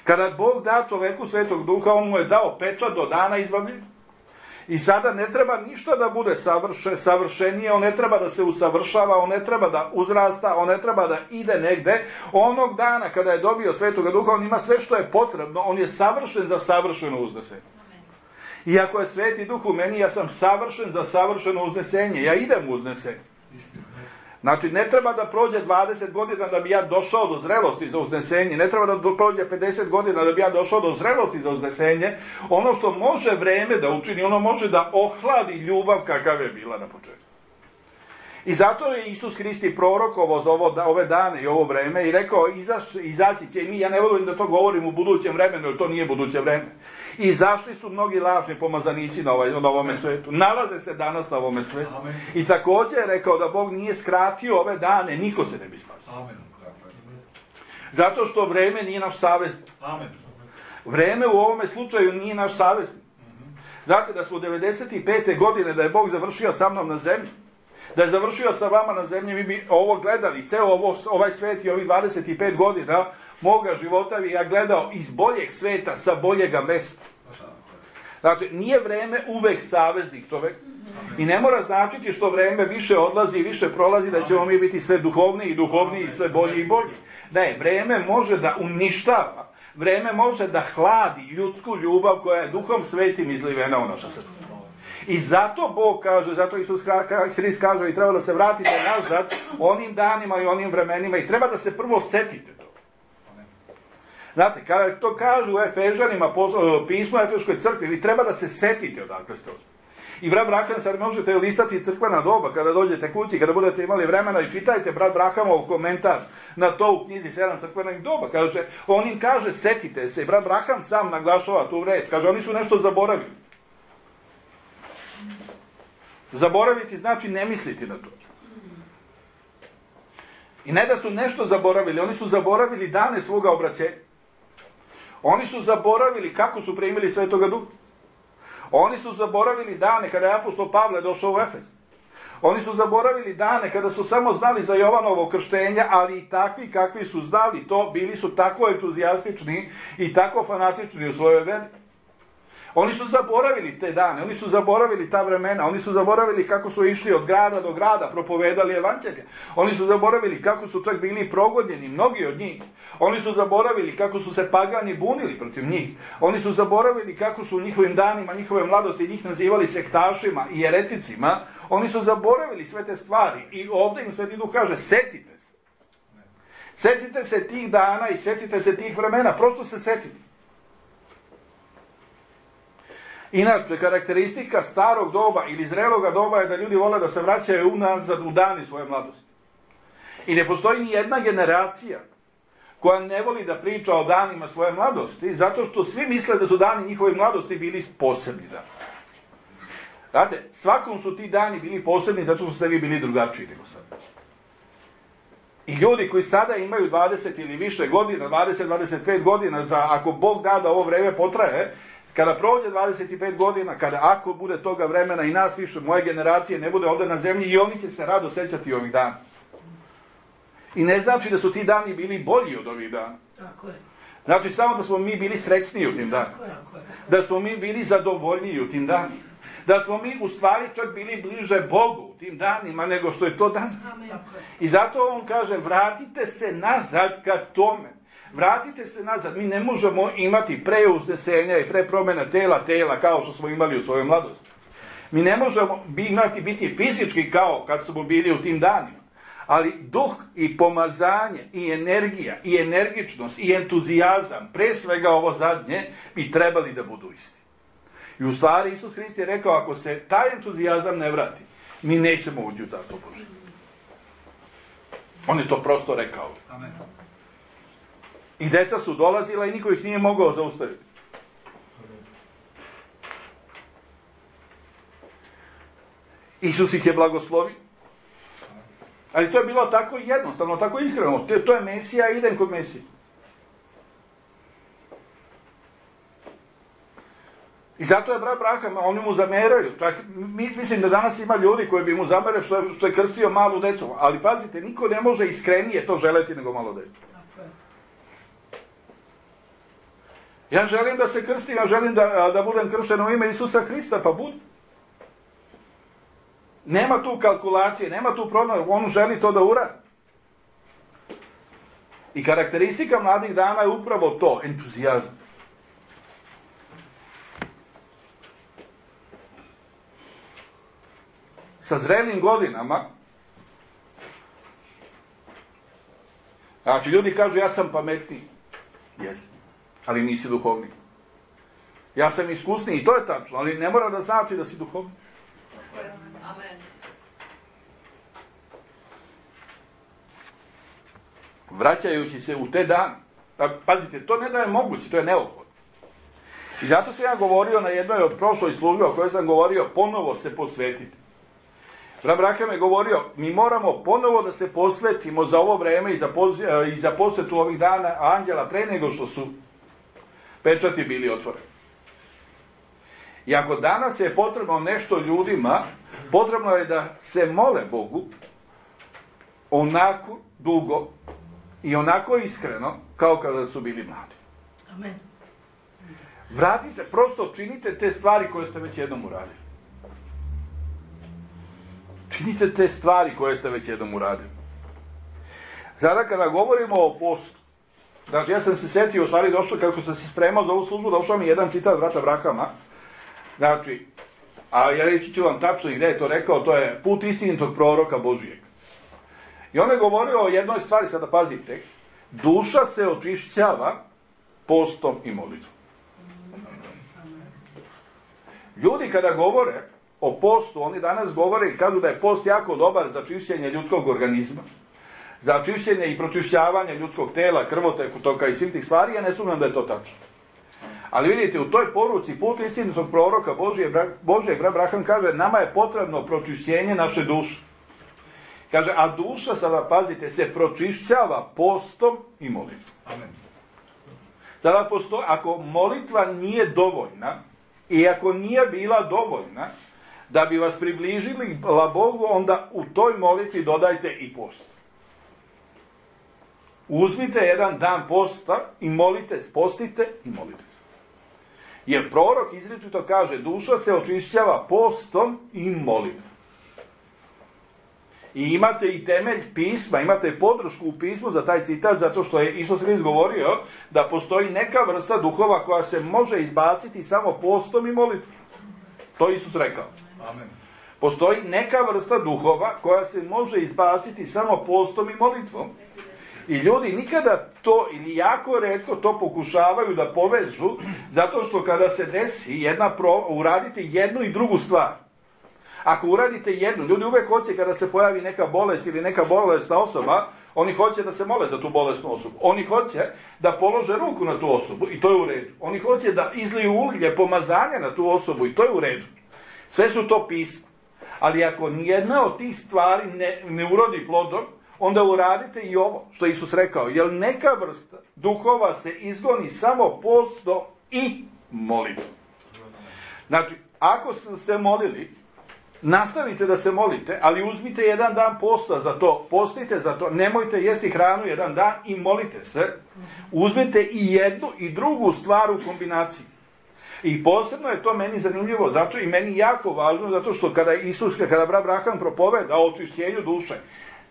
Kada Bog da čoveku Svetog Duha, on mu je dao pečat do dana izbavljenja. I sada ne treba ništa da bude savrše, savršenije, on ne treba da se usavršava, on ne treba da uzrasta, on ne treba da ide negde. Onog dana kada je dobio Svetoga Duha, on ima sve što je potrebno, on je savršen za savršeno uznesenje. I ako je Sveti Duh u meni, ja sam savršen za savršeno uznesenje, ja idem u uznesenje. Znači, ne treba da prođe dvadeset godina da bi ja došao do zrelosti za uznesenje, ne treba da prođe pedeset godina da bi ja došao do zrelosti za uznesenje. Ono što može vreme da učini, ono može da ohladi ljubav kakav je bila na početku. I zato je Isus Hrist prorokovao za ovo, ove dane i ovo vreme i rekao, izaći će, i mi, ja ne volim da to govorim u budućem vremenu, jer to nije buduće vreme. Izašli su mnogi lažni pomazanići na, ovaj, na ovome svetu. Nalaze se danas na ovome svetu. Amen. I također je rekao da Bog nije skratio ove dane, niko se ne bi spasio. Amen. Zato što vreme nije naš saveznik. Amen. Vreme u ovome slučaju nije naš saveznik. Znate da smo devedeset pete godine, da je Bog završio sa mnom na zemlji, da je završio sa vama na zemlji, mi bi ovo gledali, ceo ovo, ovaj svet i ovih dvadeset pet godina moga života bi ja gledao iz boljeg sveta, sa boljega mesta. Znači, nije vreme uvek saveznik čovek i ne mora značiti što vreme više odlazi i više prolazi da ćemo mi biti sve duhovniji i duhovniji i sve bolji i bolji. Ne, vreme može da uništava, vreme može da hladi ljudsku ljubav koja je Duhom Svetim izlivena u naša srca. I zato Bog kaže, zato Isus Hrist kaže i treba da se vratite nazad onim danima i onim vremenima i treba da se prvo setite to. Znate, kada to kažu u Efežanima, pismo Efeškoj crkvi, vi treba da se setite odakle ste. I brat Braham, sad možete listati crkvena doba kada dođete kući, kada budete imali vremena i čitajte brat Brahamov komentar na to u knjizi sedam crkvenih doba. Kaže, on im kaže, setite se. I brat Braham sam naglašava tu reč. Kaže, oni su nešto zaboravili. Zaboraviti znači ne misliti na to. I ne da su nešto zaboravili, oni su zaboravili dane svoga obraćenja. Oni su zaboravili kako su primili Svetoga Duha. Oni su zaboravili dane kada je apostol Pavle došao u Efes. Oni su zaboravili dane kada su samo znali za Jovanovo krštenje, ali i takvi kakvi su znali to, bili su tako entuzijastični i tako fanatični u svojoj veri. Oni su zaboravili te dane, oni su zaboravili ta vremena, oni su zaboravili kako su išli od grada do grada, propovedali evanđelje. Oni su zaboravili kako su čak bili progonjeni, mnogi od njih. Oni su zaboravili kako su se pagani bunili protiv njih. Oni su zaboravili kako su u njihovim danima, njihove mladosti, njih nazivali sektašima i jereticima. Oni su zaboravili sve te stvari i ovdje im Sveti Duh kaže, setite se. Setite se tih dana i setite se tih vremena, prosto se setite. Inače, karakteristika starog doba ili zreloga doba je da ljudi vole da se vraćaju unazad u dani svoje mladosti. I ne postoji ni jedna generacija koja ne voli da priča o danima svoje mladosti, zato što svi misle da su dani njihove mladosti bili posebni dani. Znate, svakom su ti dani bili posebni zato što ste vi bili drugačiji nego sad. I ljudi koji sada imaju dvadeset ili više godina, dvadeset do dvadeset pet godina, za, ako Bog da da ovo vreme potraje, kada prođe dvadeset pet godina, kada ako bude toga vremena i nas više, moje generacije ne bude ovdje na zemlji, i oni će se rado sećati ovih dana. I ne znači da su ti dani bili bolji od ovih dana. Tako je. Znači samo da smo mi bili srećniji u tim danima. Da smo mi bili zadovoljniji u tim danima. Da smo mi u stvari čak bili bliže Bogu u tim danima nego što je to dan. I zato on kaže, vratite se nazad ka tome. Vratite se nazad. Mi ne možemo imati pre uznesenja i pre promjena tela tela kao što smo imali u svojoj mladosti. Mi ne možemo imati biti fizički kao kad smo bili u tim danima. Ali duh i pomazanje i energija i energičnost i entuzijazam, pre svega ovo zadnje, bi trebali da budu isti. I u stvari Isus Hrist je rekao, ako se taj entuzijazam ne vrati, mi nećemo ući u Carstvo Božje. On je to prosto rekao. Amen. I deca su dolazila i niko ih nije mogao zaustaviti. Isus ih je blagoslovio. Ali to je bilo tako jednostavno, tako iskreno. To je Mesija, idem kod Mesije. I zato je brat Braham, oni mu zameraju. Čak, mislim da danas ima ljudi koji bi mu zamerali što, što je krstio malu decu. Ali pazite, niko ne može iskrenije to želeti nego malo decu. Ja želim da se krstim, ja želim da, da budem kršten u ime Isusa Hrista, pa budi. Nema tu kalkulacije, nema tu promjena, on želi to da uradi. I karakteristika mladih dana je upravo to, entuzijazam. Sa zrelim godinama, znači ljudi kažu ja sam pametniji, jes, ali nisi duhovni. Ja sam iskusniji, i to je tačno, ali ne mora da znači da si duhovni. Amen. Vraćajući se u te dane, pazite, to ne da je moguće, to je neophodno. I zato sam ja govorio na jednoj od prošloj službe o kojoj sam govorio, ponovo se posvetiti. Brat Braham je govorio, mi moramo ponovo da se posvetimo za ovo vreme i za, poz, i za posvetu ovih dana anđela pre nego što su pečati bili otvoreni. I ako danas je potrebno nešto ljudima, potrebno je da se mole Bogu onako dugo i onako iskreno kao kada su bili mladi. Amen. Vratite, prosto činite te stvari koje ste već jednom uradili. Činite te stvari koje ste već jednom uradili. Sada kada govorimo o postu, znači ja sam se setio, u stvari došao, kako sam se spremao za ovu službu, došao mi jedan citat brata Brahama, znači, a ja reći ću vam tačno gdje je to rekao, to je put istinitog proroka Božijeg. I on je govorio o jednoj stvari, sada pazite, duša se očišćava postom i molitvom. Ljudi kada govore o postu, oni danas govore i kažu da je post jako dobar za čišćenje ljudskog organizma, za čišćenje i pročišćavanje ljudskog tela, krvoteku, toka i svih tih stvari, ja ne sumnjam da je to tačno. Ali vidite, u toj poruci put istinitog proroka Božijeg, brat Braham kaže, nama je potrebno pročišćenje naše duše. Kaže, a duša, sada pazite, se pročišćava postom i molitvom. Amen. Sada postoji, ako molitva nije dovoljna, i ako nije bila dovoljna, da bi vas približili Bogu, onda u toj molitvi dodajte i post. Uzmite jedan dan posta i molite, postite i molite. Jer prorok izričito kaže, duša se očišćava postom i molitvom. I imate i temelj pisma, imate podršku u pismu za taj citat, zato što je Isus Hrist govorio da postoji neka vrsta duhova koja se može izbaciti samo postom i molitvom. To je Isus rekao. Amen. Postoji neka vrsta duhova koja se može izbaciti samo postom i molitvom. I ljudi nikada to, ili jako retko to pokušavaju da povežu, zato što kada se desi jedna pro, uradite jednu i drugu stvar. Ako uradite jednu, ljudi uvek hoće kada se pojavi neka bolest ili neka bolesna osoba, oni hoće da se mole za tu bolesnu osobu. Oni hoće da polože ruku na tu osobu i to je u redu. Oni hoće da izliju ulje pomazanja na tu osobu i to je u redu. Sve su to pisma. Ali ako nijedna od tih stvari ne, ne urodi plodom, onda uradite i ovo što je Isus rekao, jer neka vrsta duhova se izgoni samo postom i molitvom. Znači, ako ste se molili, nastavite da se molite, ali uzmite jedan dan posta za to, postite za to, nemojte jesti hranu jedan dan i molite se. Uzmite i jednu i drugu stvar u kombinaciji. I posebno je to meni zanimljivo, zato i meni jako važno, zato što kada Isus, kada brat Abraham propoveda o očišćenju duše,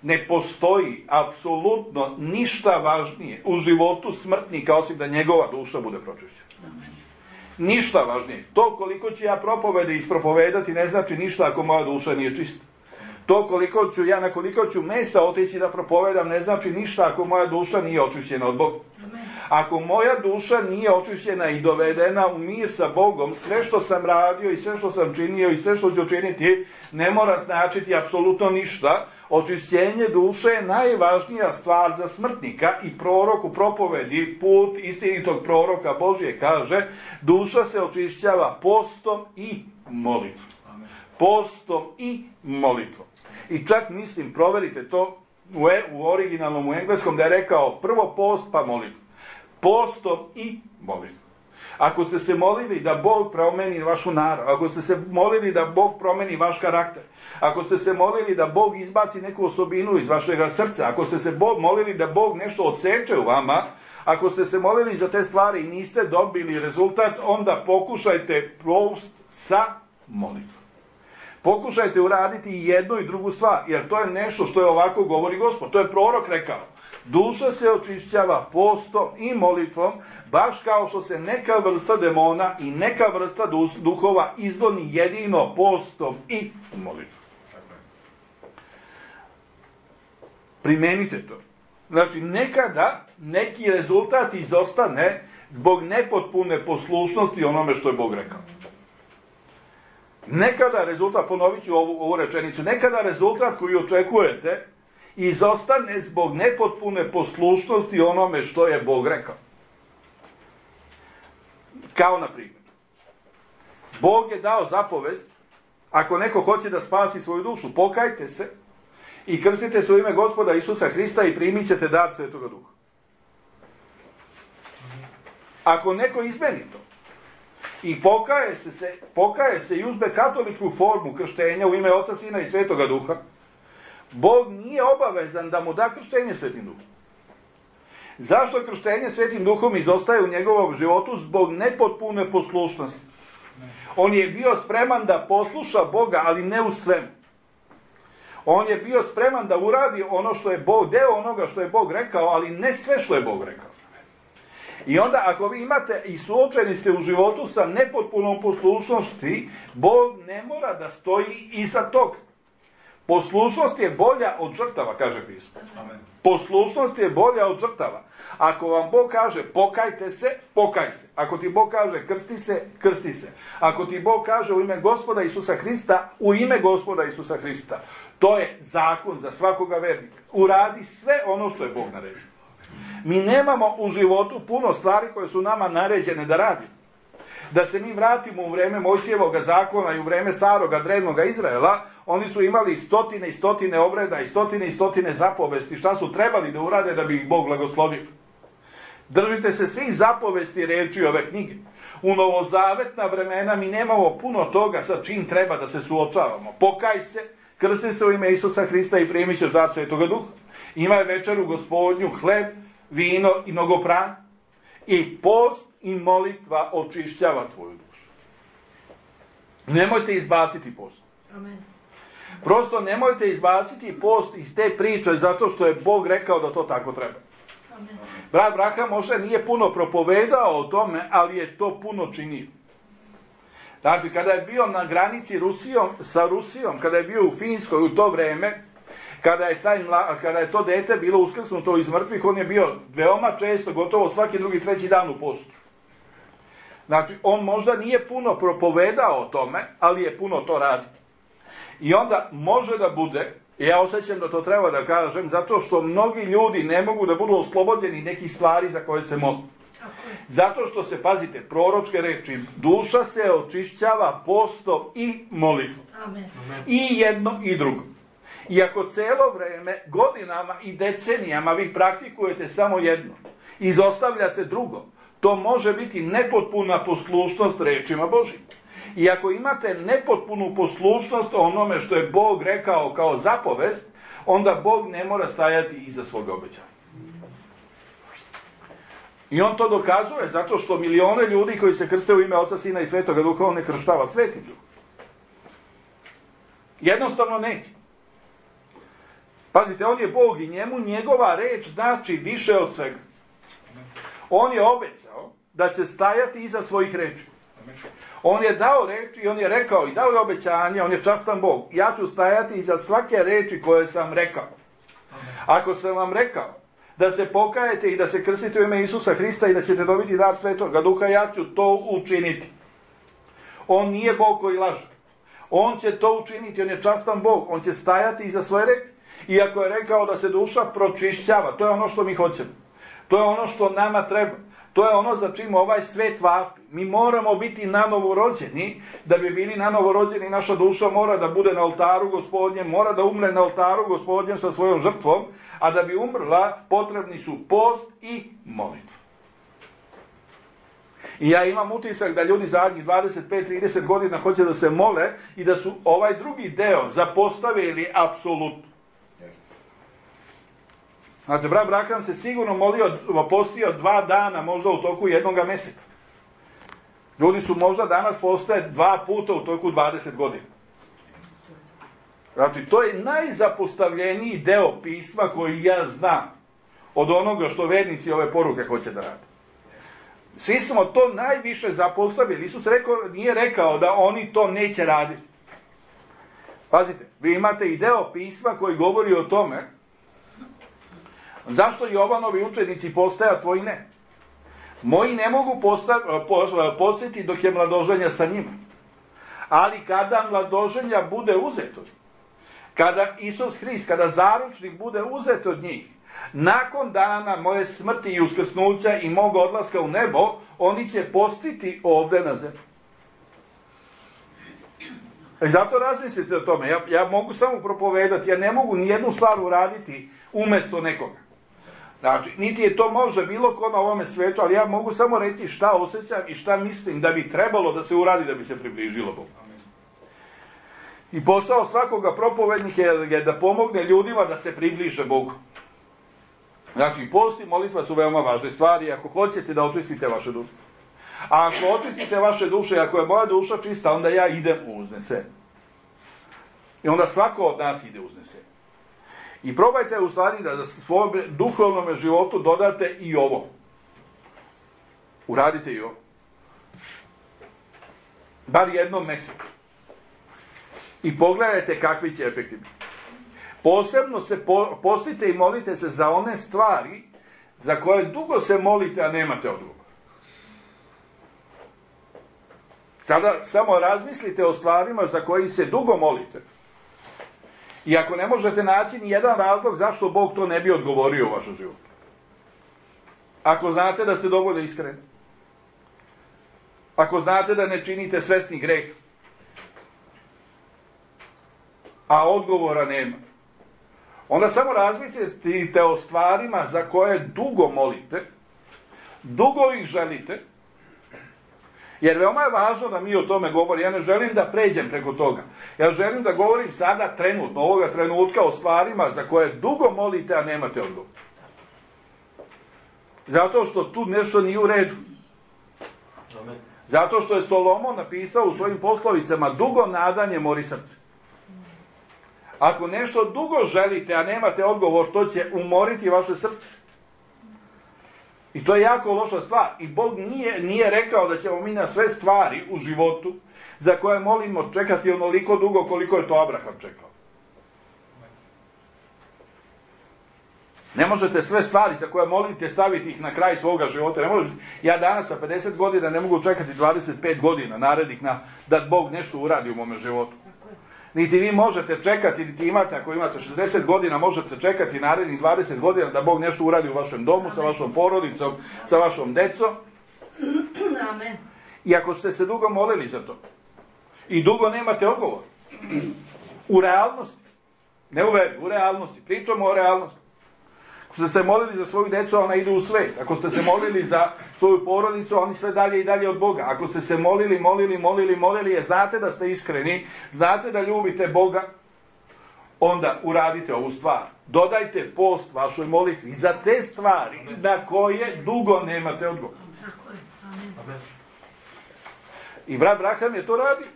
ne postoji apsolutno ništa važnije u životu smrtnika osim da njegova duša bude pročišćena. Ništa važnije. To koliko ću ja propovede ispropovedati ne znači ništa ako moja duša nije čista. To koliko ću ja na koliko ću mesta otići da propovedam ne znači ništa ako moja duša nije očišćena od Boga. Ako moja duša nije očišćena i dovedena u mir sa Bogom, sve što sam radio i sve što sam činio i sve što ću činiti ne mora značiti apsolutno ništa. Očišćenje duše je najvažnija stvar za smrtnika i prorok u propovedi, put istinitog proroka Božje kaže, duša se očišćava postom i molitvom. Postom i molitvom. I čak mislim, proverite to u, e, u originalnom, u engleskom, da je rekao prvo post pa molitva. Postom i molitvom. Ako ste se molili da Bog promeni vašu narav, ako ste se molili da Bog promeni vaš karakter, ako ste se molili da Bog izbaci neku osobinu iz vašega srca, ako ste se Bog molili da Bog nešto odseče u vama, ako ste se molili za te stvari i niste dobili rezultat, onda pokušajte post sa molitvom. Pokušajte uraditi i jednu i drugu stvar, jer to je nešto što je ovako govori Gospod. To je prorok rekao. Duša se očišćava postom i molitvom, baš kao što se neka vrsta demona i neka vrsta duhova izgoni jedino postom i molitvom. Primenite to. Znači, nekada neki rezultat izostane zbog nepotpune poslušnosti onome što je Bog rekao. Nekada rezultat, ponovit ću ovu, ovu rečenicu, nekada rezultat koji očekujete izostane zbog nepotpune poslušnosti onome što je Bog rekao. Kao na primjer, Bog je dao zapovest, ako neko hoće da spasi svoju dušu, pokajte se i krstite se u ime Gospoda Isusa Hrista i primit ćete dar Svetoga Duha. Ako neko izmeni to i pokaje se, se, pokaje se i uzme katoličku formu krštenja u ime Oca, Sina i Svetoga Duha, Bog nije obavezan da mu da krštenje Svetim Duhom. Zašto krštenje Svetim Duhom izostaje u njegovom životu? Zbog nepotpune poslušnosti. On je bio spreman da posluša Boga, ali ne u svemu. On je bio spreman da uradi ono što je Bog, deo onoga što je Bog rekao, ali ne sve što je Bog rekao. I onda ako vi imate i suočeni ste u životu sa nepotpunom poslušnosti, Bog ne mora da stoji iza toga. Poslušnost je bolja od žrtava, kaže pismo. Amen. Poslušnost je bolja od žrtava. Ako vam Bog kaže pokajte se, pokaj se. Ako ti Bog kaže krsti se, krsti se. Ako ti Bog kaže u ime Gospoda Isusa Hrista, u ime Gospoda Isusa Hrista. To je zakon za svakoga vernika. Uradi sve ono što je Bog naredio. Mi nemamo u životu puno stvari koje su nama naređene da radimo. Da se mi vratimo u vreme Mojsijevoga zakona i u vreme staroga drevnoga Izraela, oni su imali stotine i stotine obreda i stotine i stotine zapovesti šta su trebali da urade da bi ih Bog blagoslovio. Držite se svih zapovesti reči ove knjige. U novozavetna vremena mi nemamo puno toga sa čim treba da se suočavamo. Pokaj se, krsti se u ime Isusa Hrista i primi ćeš dar Svetoga Duha. Imaj večeru Gospodnju, hleb, vino i mnogopran. I post i molitva očišćava tvoju dušu. Nemojte izbaciti post. Amen. Prosto nemojte izbaciti post iz te priče zato što je Bog rekao da to tako treba. Amen. Brat Abraham možda nije puno propovedao o tome, ali je to puno činio. Znači, kada je bio na granici Rusijom, sa Rusijom, kada je bio u Finskoj u to vreme, Kada je, taj, kada je to dete bilo uskrsnuto iz mrtvih, on je bio veoma često, gotovo svaki drugi, treći dan u postu. Znači, on možda nije puno propovedao o tome, ali je puno to radio. I onda može da bude, ja osjećam da to treba da kažem, zato što mnogi ljudi ne mogu da budu oslobođeni nekih stvari za koje se mogu. Zato što se, pazite, proročke reči, duša se očišćava postom i molitvom. Amen. I jedno i drugo. I ako celo vreme, godinama i decenijama vi praktikujete samo jedno, izostavljate drugo, to može biti nepotpuna poslušnost rečima Božjim. I ako imate nepotpunu poslušnost onome što je Bog rekao kao zapovest, onda Bog ne mora stajati iza svoga obećanja. I on to dokazuje zato što milione ljudi koji se krste u ime Oca, Sina i Svetoga Duha, on ne krštava svetim Duhom. Jednostavno neće. Pazite, on je Bog i njemu njegova reč znači više od svega. On je obećao da će stajati iza svojih reči. On je dao reč i on je rekao i dao je obećanje, on je častan Bog. Ja ću stajati iza svake reči koje sam rekao. Ako sam vam rekao da se pokajete i da se krstite u ime Isusa Hrista i da ćete dobiti dar Svetoga Duha, ja ću to učiniti. On nije Bog koji laže. On će to učiniti, on je častan Bog, on će stajati iza svoje reči. Iako je rekao da se duša pročišćava, to je ono što mi hoćemo. To je ono što nama treba. To je ono za čim ovaj svet vapi. Mi moramo biti nanovo rođeni. Da bi bili nanovo rođeni, naša duša mora da bude na oltaru Gospodnjem, mora da umre na oltaru Gospodnjem sa svojom žrtvom, a da bi umrla, potrebni su post i molitva. I ja imam utisak da ljudi zadnjih dvadeset pet trideset godina hoće da se mole i da su ovaj drugi deo zapostavili apsolutno. Znate, brat Brakam se sigurno molio, postio dva dana, možda u toku jednoga mjeseca. Ljudi su možda danas postoje dva puta u toku dvadeset godina. Znači, to je najzapostavljeniji deo pisma koji ja znam od onoga što vernici ove poruke hoće da rade. Svi smo to najviše zapostavili. Isus rekao, nije rekao da oni to neće raditi. Pazite, vi imate i deo pisma koji govori o tome zašto Jovanovi učenici postaje, a tvoji ne. Moji ne mogu postati dok je mladoženja sa njima. Ali kada mladoženja bude uzeto, kada Isus Hrist, kada zaručnik bude uzet od njih, nakon dana moje smrti i uskrsnuća i mog odlaska u nebo, oni će postiti ovdje na zemlji. I zato razmislite o tome. Ja, ja mogu samo propovedati, ja ne mogu ni jednu stvar uraditi umjesto nekoga. Znači, niti je to može bilo ko na ovome svetu, ali ja mogu samo reći šta osjećam i šta mislim da bi trebalo da se uradi da bi se približilo Bogu. I posao svakoga propovednika je da pomogne ljudima da se približe Bogu. Znači, post i molitva su veoma važne stvari ako hoćete da očistite vaše duše. A ako očistite vaše duše, ako je moja duša čista, onda ja idem u uznesen. I onda svako od nas ide u uznesen. I probajte u stvari da za svom duhovnom životu dodate i ovo. Uradite i ovo. Bar jednom mjesecu. I pogledajte kakvi će efekti biti. Posebno se po, postite i molite se za one stvari za koje dugo se molite, a nemate odgovor. Kada samo razmislite o stvarima za koji se dugo molite, i ako ne možete naći ni jedan razlog zašto Bog to ne bi odgovorio u vašem životu. Ako znate da ste dovoljno iskreni. Ako znate da ne činite svesni greh. A odgovora nema. Onda samo razmislite o stvarima za koje dugo molite. Dugo ih želite. Jer veoma je važno da mi o tome govorimo. Ja ne želim da pređem preko toga. Ja želim da govorim sada trenutno, ovoga trenutka o stvarima za koje dugo molite, a nemate odgovor. Zato što tu nešto nije u redu. Zato što je Solomon napisao u svojim poslovicama dugo nadanje mori srce. Ako nešto dugo želite, a nemate odgovor, to će umoriti vaše srce. I to je jako loša stvar. I Bog nije, nije rekao da ćemo mi na sve stvari u životu za koje molimo čekati onoliko dugo koliko je to Abraham čekao. Ne možete sve stvari za koje molite staviti ih na kraj svoga života. Ne možete. Ja danas sa pedeset godina ne mogu čekati dvadeset pet godina narednih na, da Bog nešto uradi u mome životu. Niti vi možete čekati, niti imate, ako imate šezdeset godina, možete čekati narednih dvadeset godina da Bog nešto uradi u vašem domu, Amen. Sa vašom porodicom, sa vašom decom. Amen. I ako ste se dugo molili za to, i dugo nemate odgovor, u realnosti, Ne u veri, u realnosti. Pričamo o realnosti. Ako ste se molili za svoju djecu, ona ide u svet. Ako ste se molili za svoju porodicu, oni sve dalje i dalje od Boga. Ako ste se molili, molili, molili, molili, je znate da ste iskreni, znate da ljubite Boga, onda uradite ovu stvar. Dodajte post vašoj molitvi za te stvari na koje dugo nemate odgovor. I brat Braham je to radio.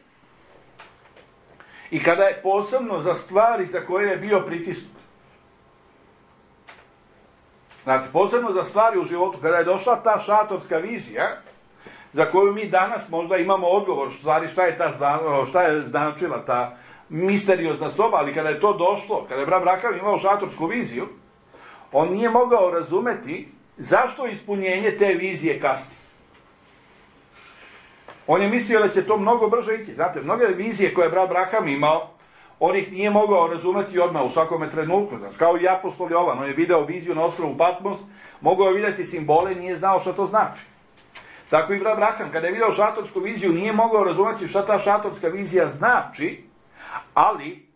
I kada je posebno za stvari za koje je bio pritisnut. Znači, posebno za stvari u životu, kada je došla ta šatorska vizija, za koju mi danas možda imamo odgovor, stvari šta je, ta, šta je značila ta misteriozna soba, ali kada je to došlo, kada je brat Braham imao šatorsku viziju, on nije mogao razumeti zašto ispunjenje te vizije kasni. On je mislio da će to mnogo brže ići. Znate, mnoge vizije koje je brat Braham imao, on ih nije mogao razumeti odmah u svakome trenutku. Znači, kao i apostol Jovan, on je video viziju na ostrvu Patmos, mogao je vidjeti simbole, nije znao šta to znači. Tako i brat Braham, kada je video šatorsku viziju, nije mogao razumeti šta ta šatorska vizija znači, ali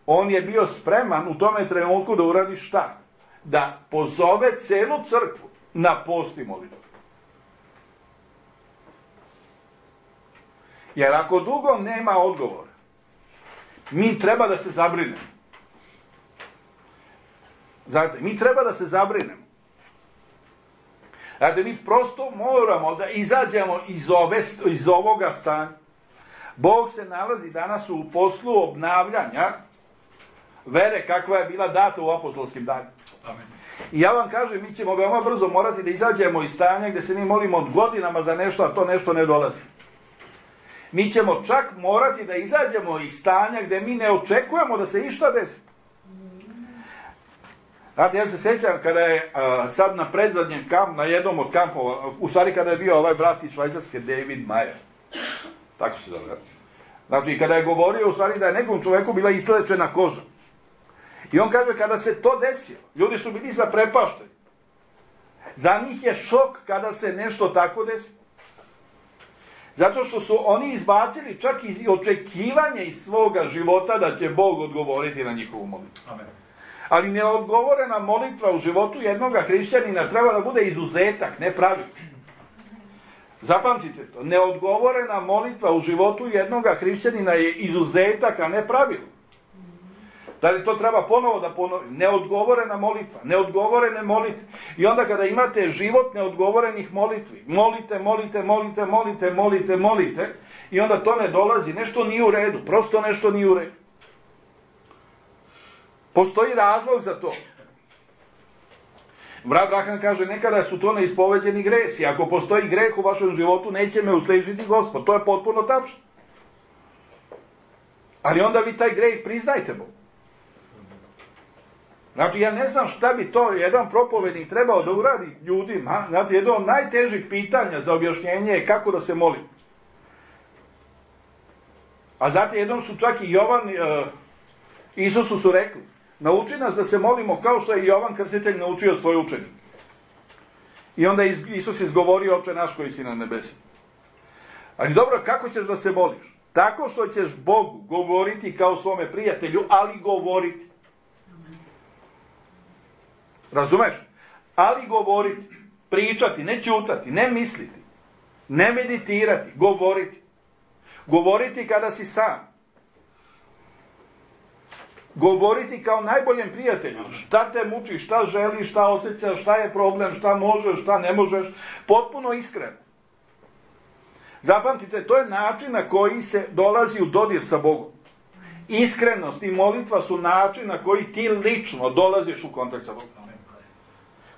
on je bio spreman u tome trenutku da uradi šta? Da pozove celu crkvu na post i molitvu. Jer ako dugo nema odgovora, mi treba da se zabrinemo. Znate, mi treba da se zabrinemo. Znate, mi prosto moramo da izađemo iz, ove, iz ovoga stanja. Bog se nalazi danas u poslu obnavljanja vere kakva je bila data u apostolskim danima. Amen. I ja vam kažem, mi ćemo veoma brzo morati da izađemo iz stanja gdje se mi molimo od godinama za nešto, a to nešto ne dolazi. Mi ćemo čak morati da izađemo iz stanja gdje mi ne očekujemo da se išta desi. Znate, ja se sjećam kada je a, sad na predzadnjem kampu, na jednom od kampova, u stvari kada je bio ovaj brat iz Švajcarske, David Mayer. Tako se zove. Znači, kada je govorio u stvari da je nekom čovjeku bila islečena koža. I on kaže, kada se to desilo, ljudi su bili zaprepašteni. Za njih je šok kada se nešto tako desi. Zato što su oni izbacili čak i očekivanje iz svoga života da će Bog odgovoriti na njihovu molitvu. Amen. Ali neodgovorena molitva u životu jednoga hrišćanina treba da bude izuzetak, ne pravilo. Zapamtite to. Neodgovorena molitva u životu jednoga hrišćanina je izuzetak, a ne pravilo. Da li to treba ponovo da ponovim? Neodgovorena molitva, neodgovorene molitve. I onda kada imate život neodgovorenih molitvi, molite, molite, molite, molite, molite, molite, i onda to ne dolazi, nešto nije u redu, prosto nešto nije u redu. Postoji razlog za to. Brat Braham kaže, nekada su to neispoveđeni gresi. Ako postoji greh u vašem životu, neće me uslišiti Gospod. To je potpuno tačno. Ali onda vi taj greh priznajte Bogu. Znači, ja ne znam šta bi to jedan propovednik trebao da uradi ljudima. Znači, jedno od najtežih pitanja za objašnjenje je kako da se moli. A znate, jednom su čak i Jovan, uh, Isusu su rekli, nauči nas da se molimo kao što je Jovan Krstitelj naučio svoje učenike. I onda je Isus izgovorio, Oče naš koji si na nebesima. Ali dobro, kako ćeš da se moliš? Tako što ćeš Bogu govoriti kao svome prijatelju, ali govoriti. Razumeš? Ali govoriti, pričati, ne ćutati, ne misliti, ne meditirati, govoriti. Govoriti kada si sam. Govoriti kao najboljem prijatelju. Šta te muči, šta želiš, šta osjećaš, šta je problem, šta možeš, šta ne možeš. Potpuno iskreno. Zapamtite, to je način na koji se dolazi u dodir sa Bogom. Iskrenost i molitva su način na koji ti lično dolaziš u kontakt sa Bogom.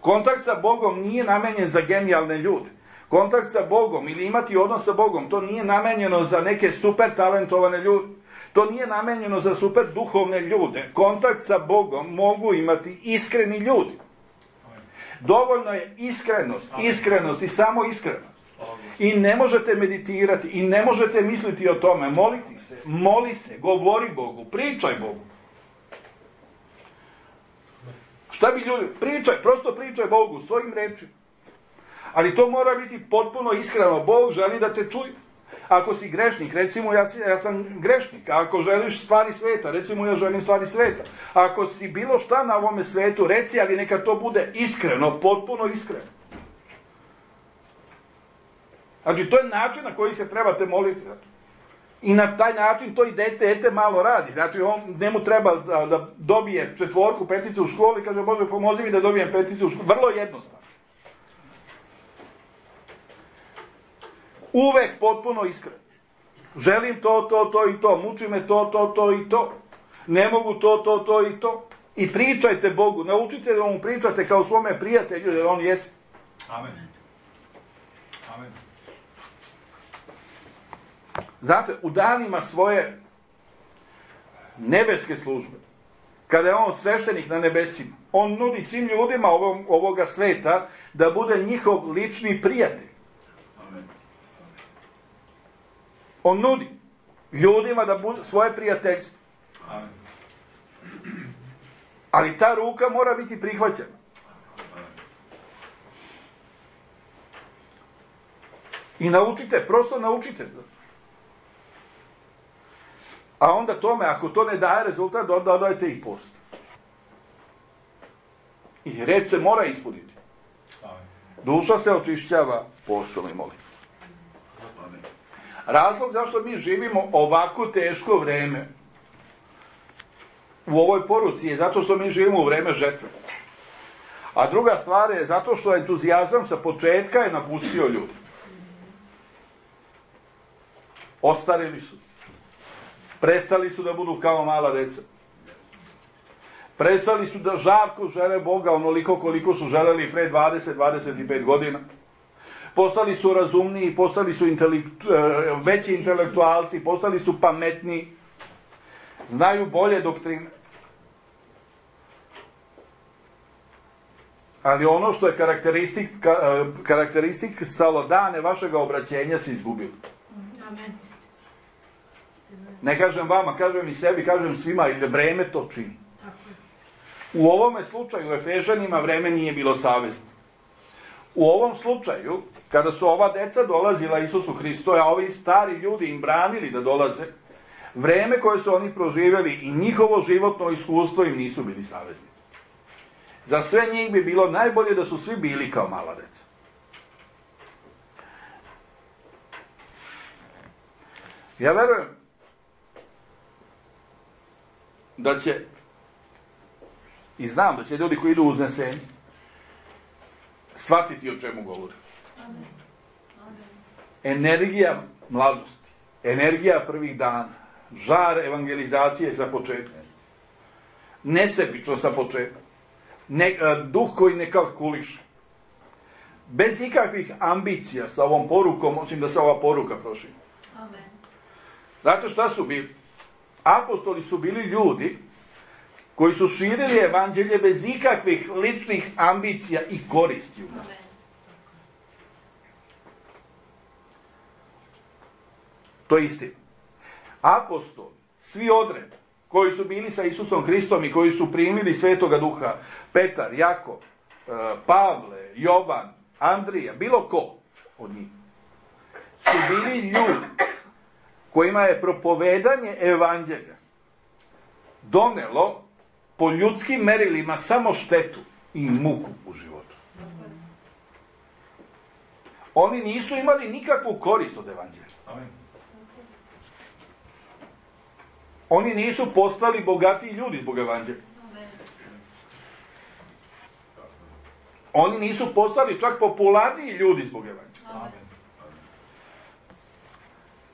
Kontakt sa Bogom nije namenjen za genijalne ljude. Kontakt sa Bogom ili imati odnos sa Bogom, to nije namenjeno za neke super talentovane ljude. To nije namenjeno za super duhovne ljude. Kontakt sa Bogom mogu imati iskreni ljudi. Dovoljno je iskrenost, iskrenost i samo iskrenost. I ne možete meditirati, i ne možete misliti o tome. Moliti se, moli se, govori Bogu, pričaj Bogu. Šta bi ljudi, pričaj, prosto pričaj Bogu svojim rečima. Ali to mora biti potpuno iskreno. Bog želi da te čuje. Ako si grešnik, recimo ja, si, ja sam grešnik. Ako želiš stvari sveta, recimo ja želim stvari sveta. Ako si bilo šta na ovome svetu, reci, ali neka to bude iskreno, potpuno iskreno. Znači, to je način na koji se trebate moliti. I na taj način to i dete, dete malo radi. Znači, on, njemu treba da, da dobije četvorku, peticu u školi, kaže, Bože, pomozi mi da dobijem peticu u školi. Vrlo jednostavno. Uvek potpuno iskreno. Želim to, to, to i to. Muči me to, to, to i to. Ne mogu to, to, to i to. I pričajte Bogu. Naučite da mu pričate kao svome prijatelju, jer on jest. Amen. Amen. Znate, u danima svoje nebeske službe, kada je on sveštenik na nebesima, on nudi svim ljudima ovog, ovoga sveta da bude njihov lični prijatelj. Amen. On nudi ljudima da bude svoje prijateljstvo. Amen. Ali ta ruka mora biti prihvaćena. I naučite, prosto naučite. A onda tome, ako to ne daje rezultat, onda dodajte i post. I red se mora ispuniti. Duša se očišćava postom i molitvom. Razlog zašto mi živimo ovako teško vreme u ovoj poruci je zato što mi živimo u vreme žetve. A druga stvar je zato što entuzijazam sa početka je napustio ljudi. Ostarili su. Prestali su da budu kao mala deca. Prestali su da žarko žele Boga onoliko koliko su želeli pre dvadeset do dvadeset pet godina. Postali su razumniji, postali su intelektu, veći intelektualci, postali su pametniji, znaju bolje doktrine. Ali ono što je karakteristik, karakteristik salodane vašega obraćenja se izgubilo. Amen. Ne kažem vama, kažem i sebi, kažem svima, i vreme to čini. U ovome slučaju, u Efežanima, vreme nije bilo savezno. U ovom slučaju, kada su ova deca dolazila Isusu Hristu, a ovi stari ljudi im branili da dolaze, vreme koje su oni proživjeli i njihovo životno iskustvo im nisu bili saveznici. Za sve njih bi bilo najbolje da su svi bili kao mala deca. Ja verujem da će, i znam da će ljudi koji idu u uznesenje shvatiti o čemu govore. Amen. Amen. Energija mladosti, energija prvih dana, žar evangelizacije sa početka, nesebično sa početka, ne, duh koji ne kalkuliše, bez ikakvih ambicija sa ovom porukom, osim da se ova poruka proširi. Amen. Znate šta su bili? Apostoli su bili ljudi koji su širili evanđelje bez ikakvih ličnih ambicija i koristi. Amen. To je istina. Apostoli, svi odred, koji su bili sa Isusom Hristom i koji su primili Svetoga Duha, Petar, Jakov, Pavle, Jovan, Andrija, bilo ko od njih, su bili ljudi kojima je propovedanje evanđelja donelo po ljudskim merilima samo štetu i muku u životu. Oni nisu imali nikakvu korist od evanđelja. Amen. Oni nisu postali bogatiji ljudi zbog evanđelja. Oni nisu postali čak popularniji ljudi zbog evanđelja. Amen.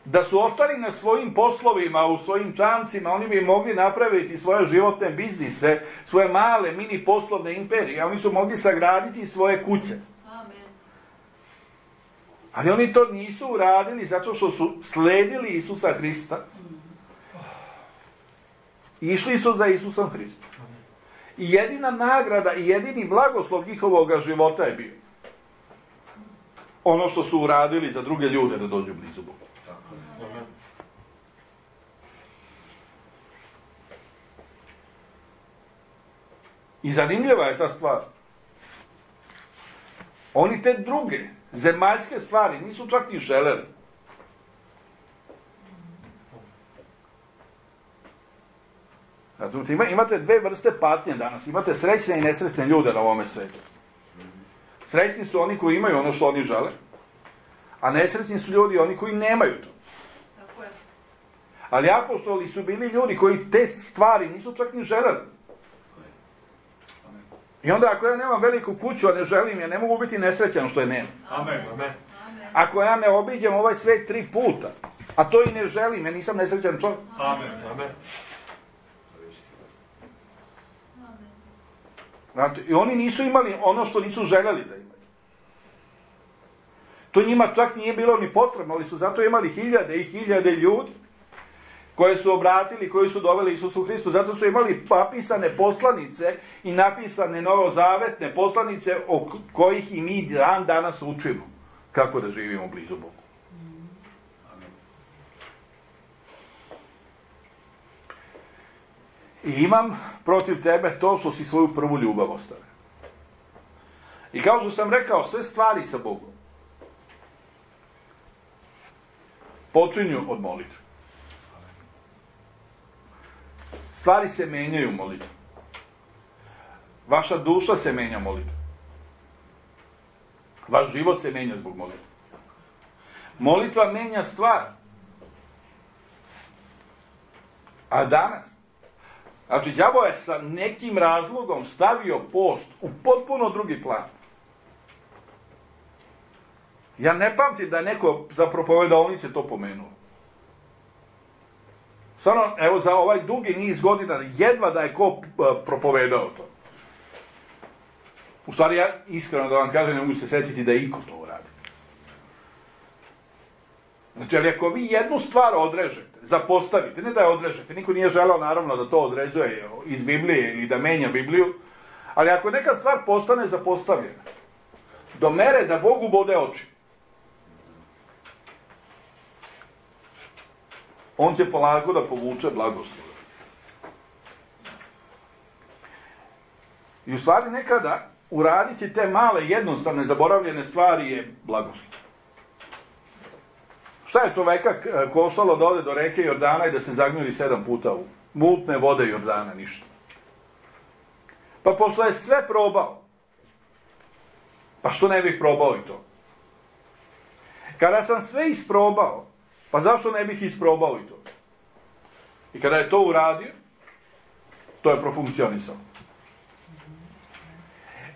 Da su ostali na svojim poslovima, u svojim čamcima, oni bi mogli napraviti svoje životne biznise, svoje male mini poslovne imperije. Oni su mogli sagraditi svoje kuće. Amen. Ali oni to nisu uradili zato što su sledili Isusa Hrista. Išli su za Isusom Hristom. I jedina nagrada i jedini blagoslov njihovoga života je bio ono što su uradili za druge ljude da dođu blizu Boga. I zanimljiva je ta stvar. Oni te druge zemaljske stvari nisu čak ni želeli. Razumite, ima, imate dve vrste patnje danas. Imate srećne i nesrećne ljude na ovome svijetu. Srećni su oni koji imaju ono što oni žele, a nesrećni su ljudi oni koji nemaju to. Tako je. Ali apostoli su bili ljudi koji te stvari nisu čak ni želeli. I onda ako ja nemam veliku kuću, a ne želim, ja ne mogu biti nesrećan što je nema. Amen. Amen. Ako ja ne obiđem ovaj svijet tri puta, a to i ne želim, ja nisam nesrećan čovjek. Amen. Amen. Znači, i oni nisu imali ono što nisu željeli da imaju. To njima čak nije bilo ni potrebno, ali su zato imali hiljade i hiljade ljudi koje su obratili, koji su doveli Isusu Hristu. Zato su imali napisane poslanice i napisane novozavetne poslanice o kojih i mi dan danas učimo kako da živimo blizu Bogu. I imam protiv tebe to što si svoju prvu ljubav ostavio. I kao što sam rekao, sve stvari sa Bogom počinju od molitve. Stvari se menjaju molitvom. Vaša duša se menja molitvom. Vaš život se menja zbog molitve. Molitva menja stvar. A danas, znači, đavo je sa nekim razlogom stavio post u potpuno drugi plan. Ja ne pamtim da je neko za propovedalnice to pomenuo. Stvarno, evo, za ovaj dugi niz godina, jedva da je ko propovedao to. U stvari, ja iskreno da vam kažem, ne mogu se sjetiti da je iko to uradi. Znači, ali ako vi jednu stvar odrežete, zapostavite, ne da je odrežete, niko nije želao naravno da to određuje iz Biblije ili da menja Bibliju, ali ako neka stvar postane zapostavljena, do mere da Bogu bode oči, on će polako da povuče blagoslov. I u stvari nekada uraditi te male, jednostavne, zaboravljene stvari je blagoslov. Šta je čoveka koštalo da ode do reke Jordana i da se zagnjuri sedam puta u mutne vode Jordana? Ništa. Pa pošto je sve probao, pa što ne bih probao i to? Kada sam sve isprobao, pa zašto ne bih isprobao i to? I kada je to uradio, to je profunkcionisao.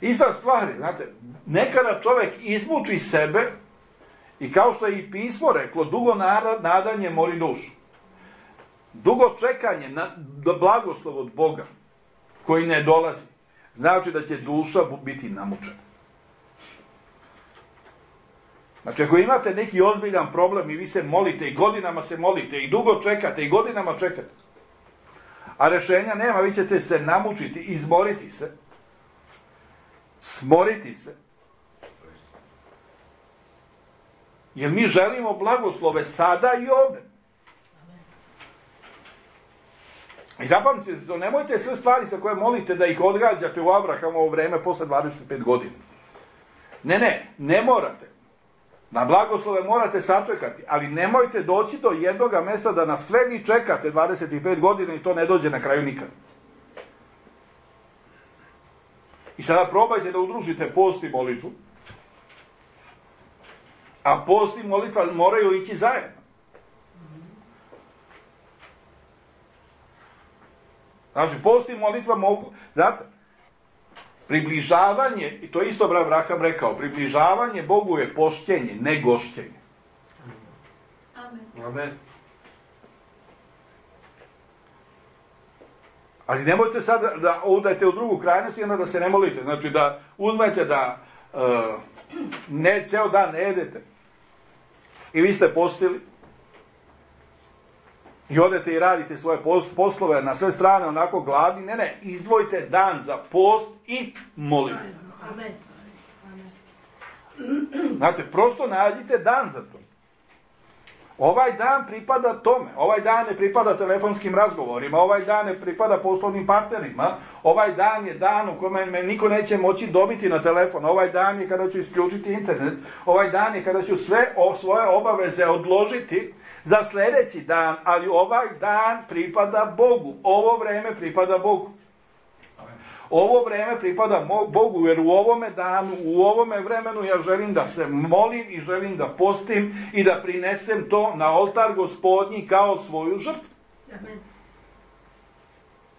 Ista stvar je, znate, nekada čovjek izmuči sebe i kao što je i pismo reklo, dugo nadanje mori dušu. Dugo čekanje na blagoslov od Boga, koji ne dolazi, znači da će duša biti namučena. Znači, ako imate neki ozbiljan problem i vi se molite i godinama se molite i dugo čekate i godinama čekate, a rješenja nema, vi ćete se namučiti, izmoriti se, smoriti se, jer mi želimo blagoslove sada i ovdje. I zapamtite, nemojte sve stvari sa koje molite da ih odgađate u Abrahamovo vreme posle dvadeset pet godina. Ne, ne, ne morate. Na blagoslove morate sačekati, ali nemojte doći do jednoga mjesta da na sve vi čekate dvadeset pet godina i to ne dođe na kraju nikad. I sada probajte da udružite post i molitvu, a post i molitva moraju ići zajedno. Znači, post i molitva mogu, znate, približavanje, i to isto Abraham rekao, približavanje Bogu je pošćenje, ne gošćenje. Amen. Amen. Ali nemojte sad da udajete u drugu krajnost i onda da se ne molite. Znači da uzmete da uh, ne, ceo dan ne jedete i vi ste postili i odete i radite svoje poslove na sve strane onako gladni. Ne, ne, izdvojite dan za post i molite. Amen. Znate, prosto nađite dan za to. Ovaj dan pripada tome, ovaj dan ne pripada telefonskim razgovorima, ovaj dan ne pripada poslovnim partnerima, ovaj dan je dan u kome me niko neće moći dobiti na telefon, ovaj dan je kada ću isključiti internet, ovaj dan je kada ću sve o, svoje obaveze odložiti za sljedeći dan, ali ovaj dan pripada Bogu, ovo vreme pripada Bogu. Ovo vreme pripada Bogu, jer u ovome danu, u ovome vremenu ja želim da se molim i želim da postim i da prinesem to na oltar Gospodnji kao svoju žrtvu. Amen.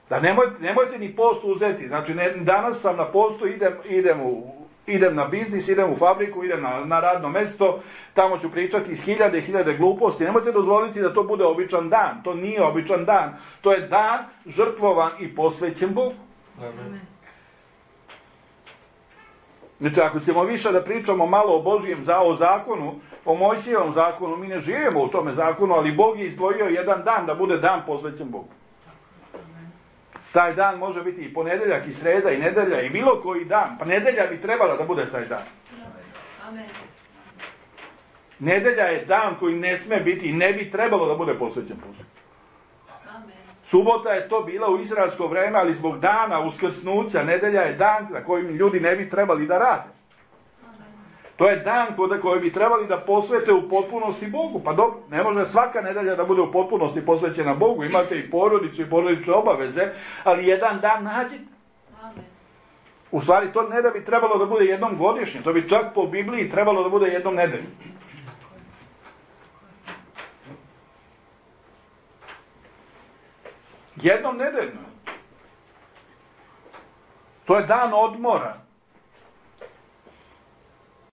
Da nemojte, nemojte ni post uzeti. Znači, ne, danas sam na postu, idem, idem, u, idem na biznis, idem u fabriku, idem na, na radno mesto, tamo ću pričati hiljade i hiljade gluposti. Nemojte dozvoliti da to bude običan dan. To nije običan dan. To je dan žrtvovan i posvećen Bogu. Amen. Znači, ako ćemo više da pričamo malo o Božijem za, o zakonu, o Mojsijevom zakonu, mi ne živimo u tome zakonu, ali Bog je izdvojio jedan dan da bude dan posvećen Bogu. Taj dan može biti i ponedeljak, i sreda, i nedelja, i bilo koji dan. Pa nedelja bi trebala da bude taj dan. Amen. Nedelja je dan koji ne sme biti i ne bi trebalo da bude posvećen Bogu. Subota Subota je to bila u izraelsko vreme, ali zbog dana uskrsnuća, nedelja je dan na kojim ljudi ne bi trebali da rade. To je dan koji bi trebali da posvete u potpunosti Bogu. Pa dobro, ne može svaka nedelja da bude u potpunosti posvećena Bogu. Imate i porodicu i porodične obaveze, ali jedan dan nađite. U stvari, to ne da bi trebalo da bude jednom godišnje, to bi čak po Bibliji trebalo da bude jednom nedeljom. Jednom nedeljno. To je dan odmora.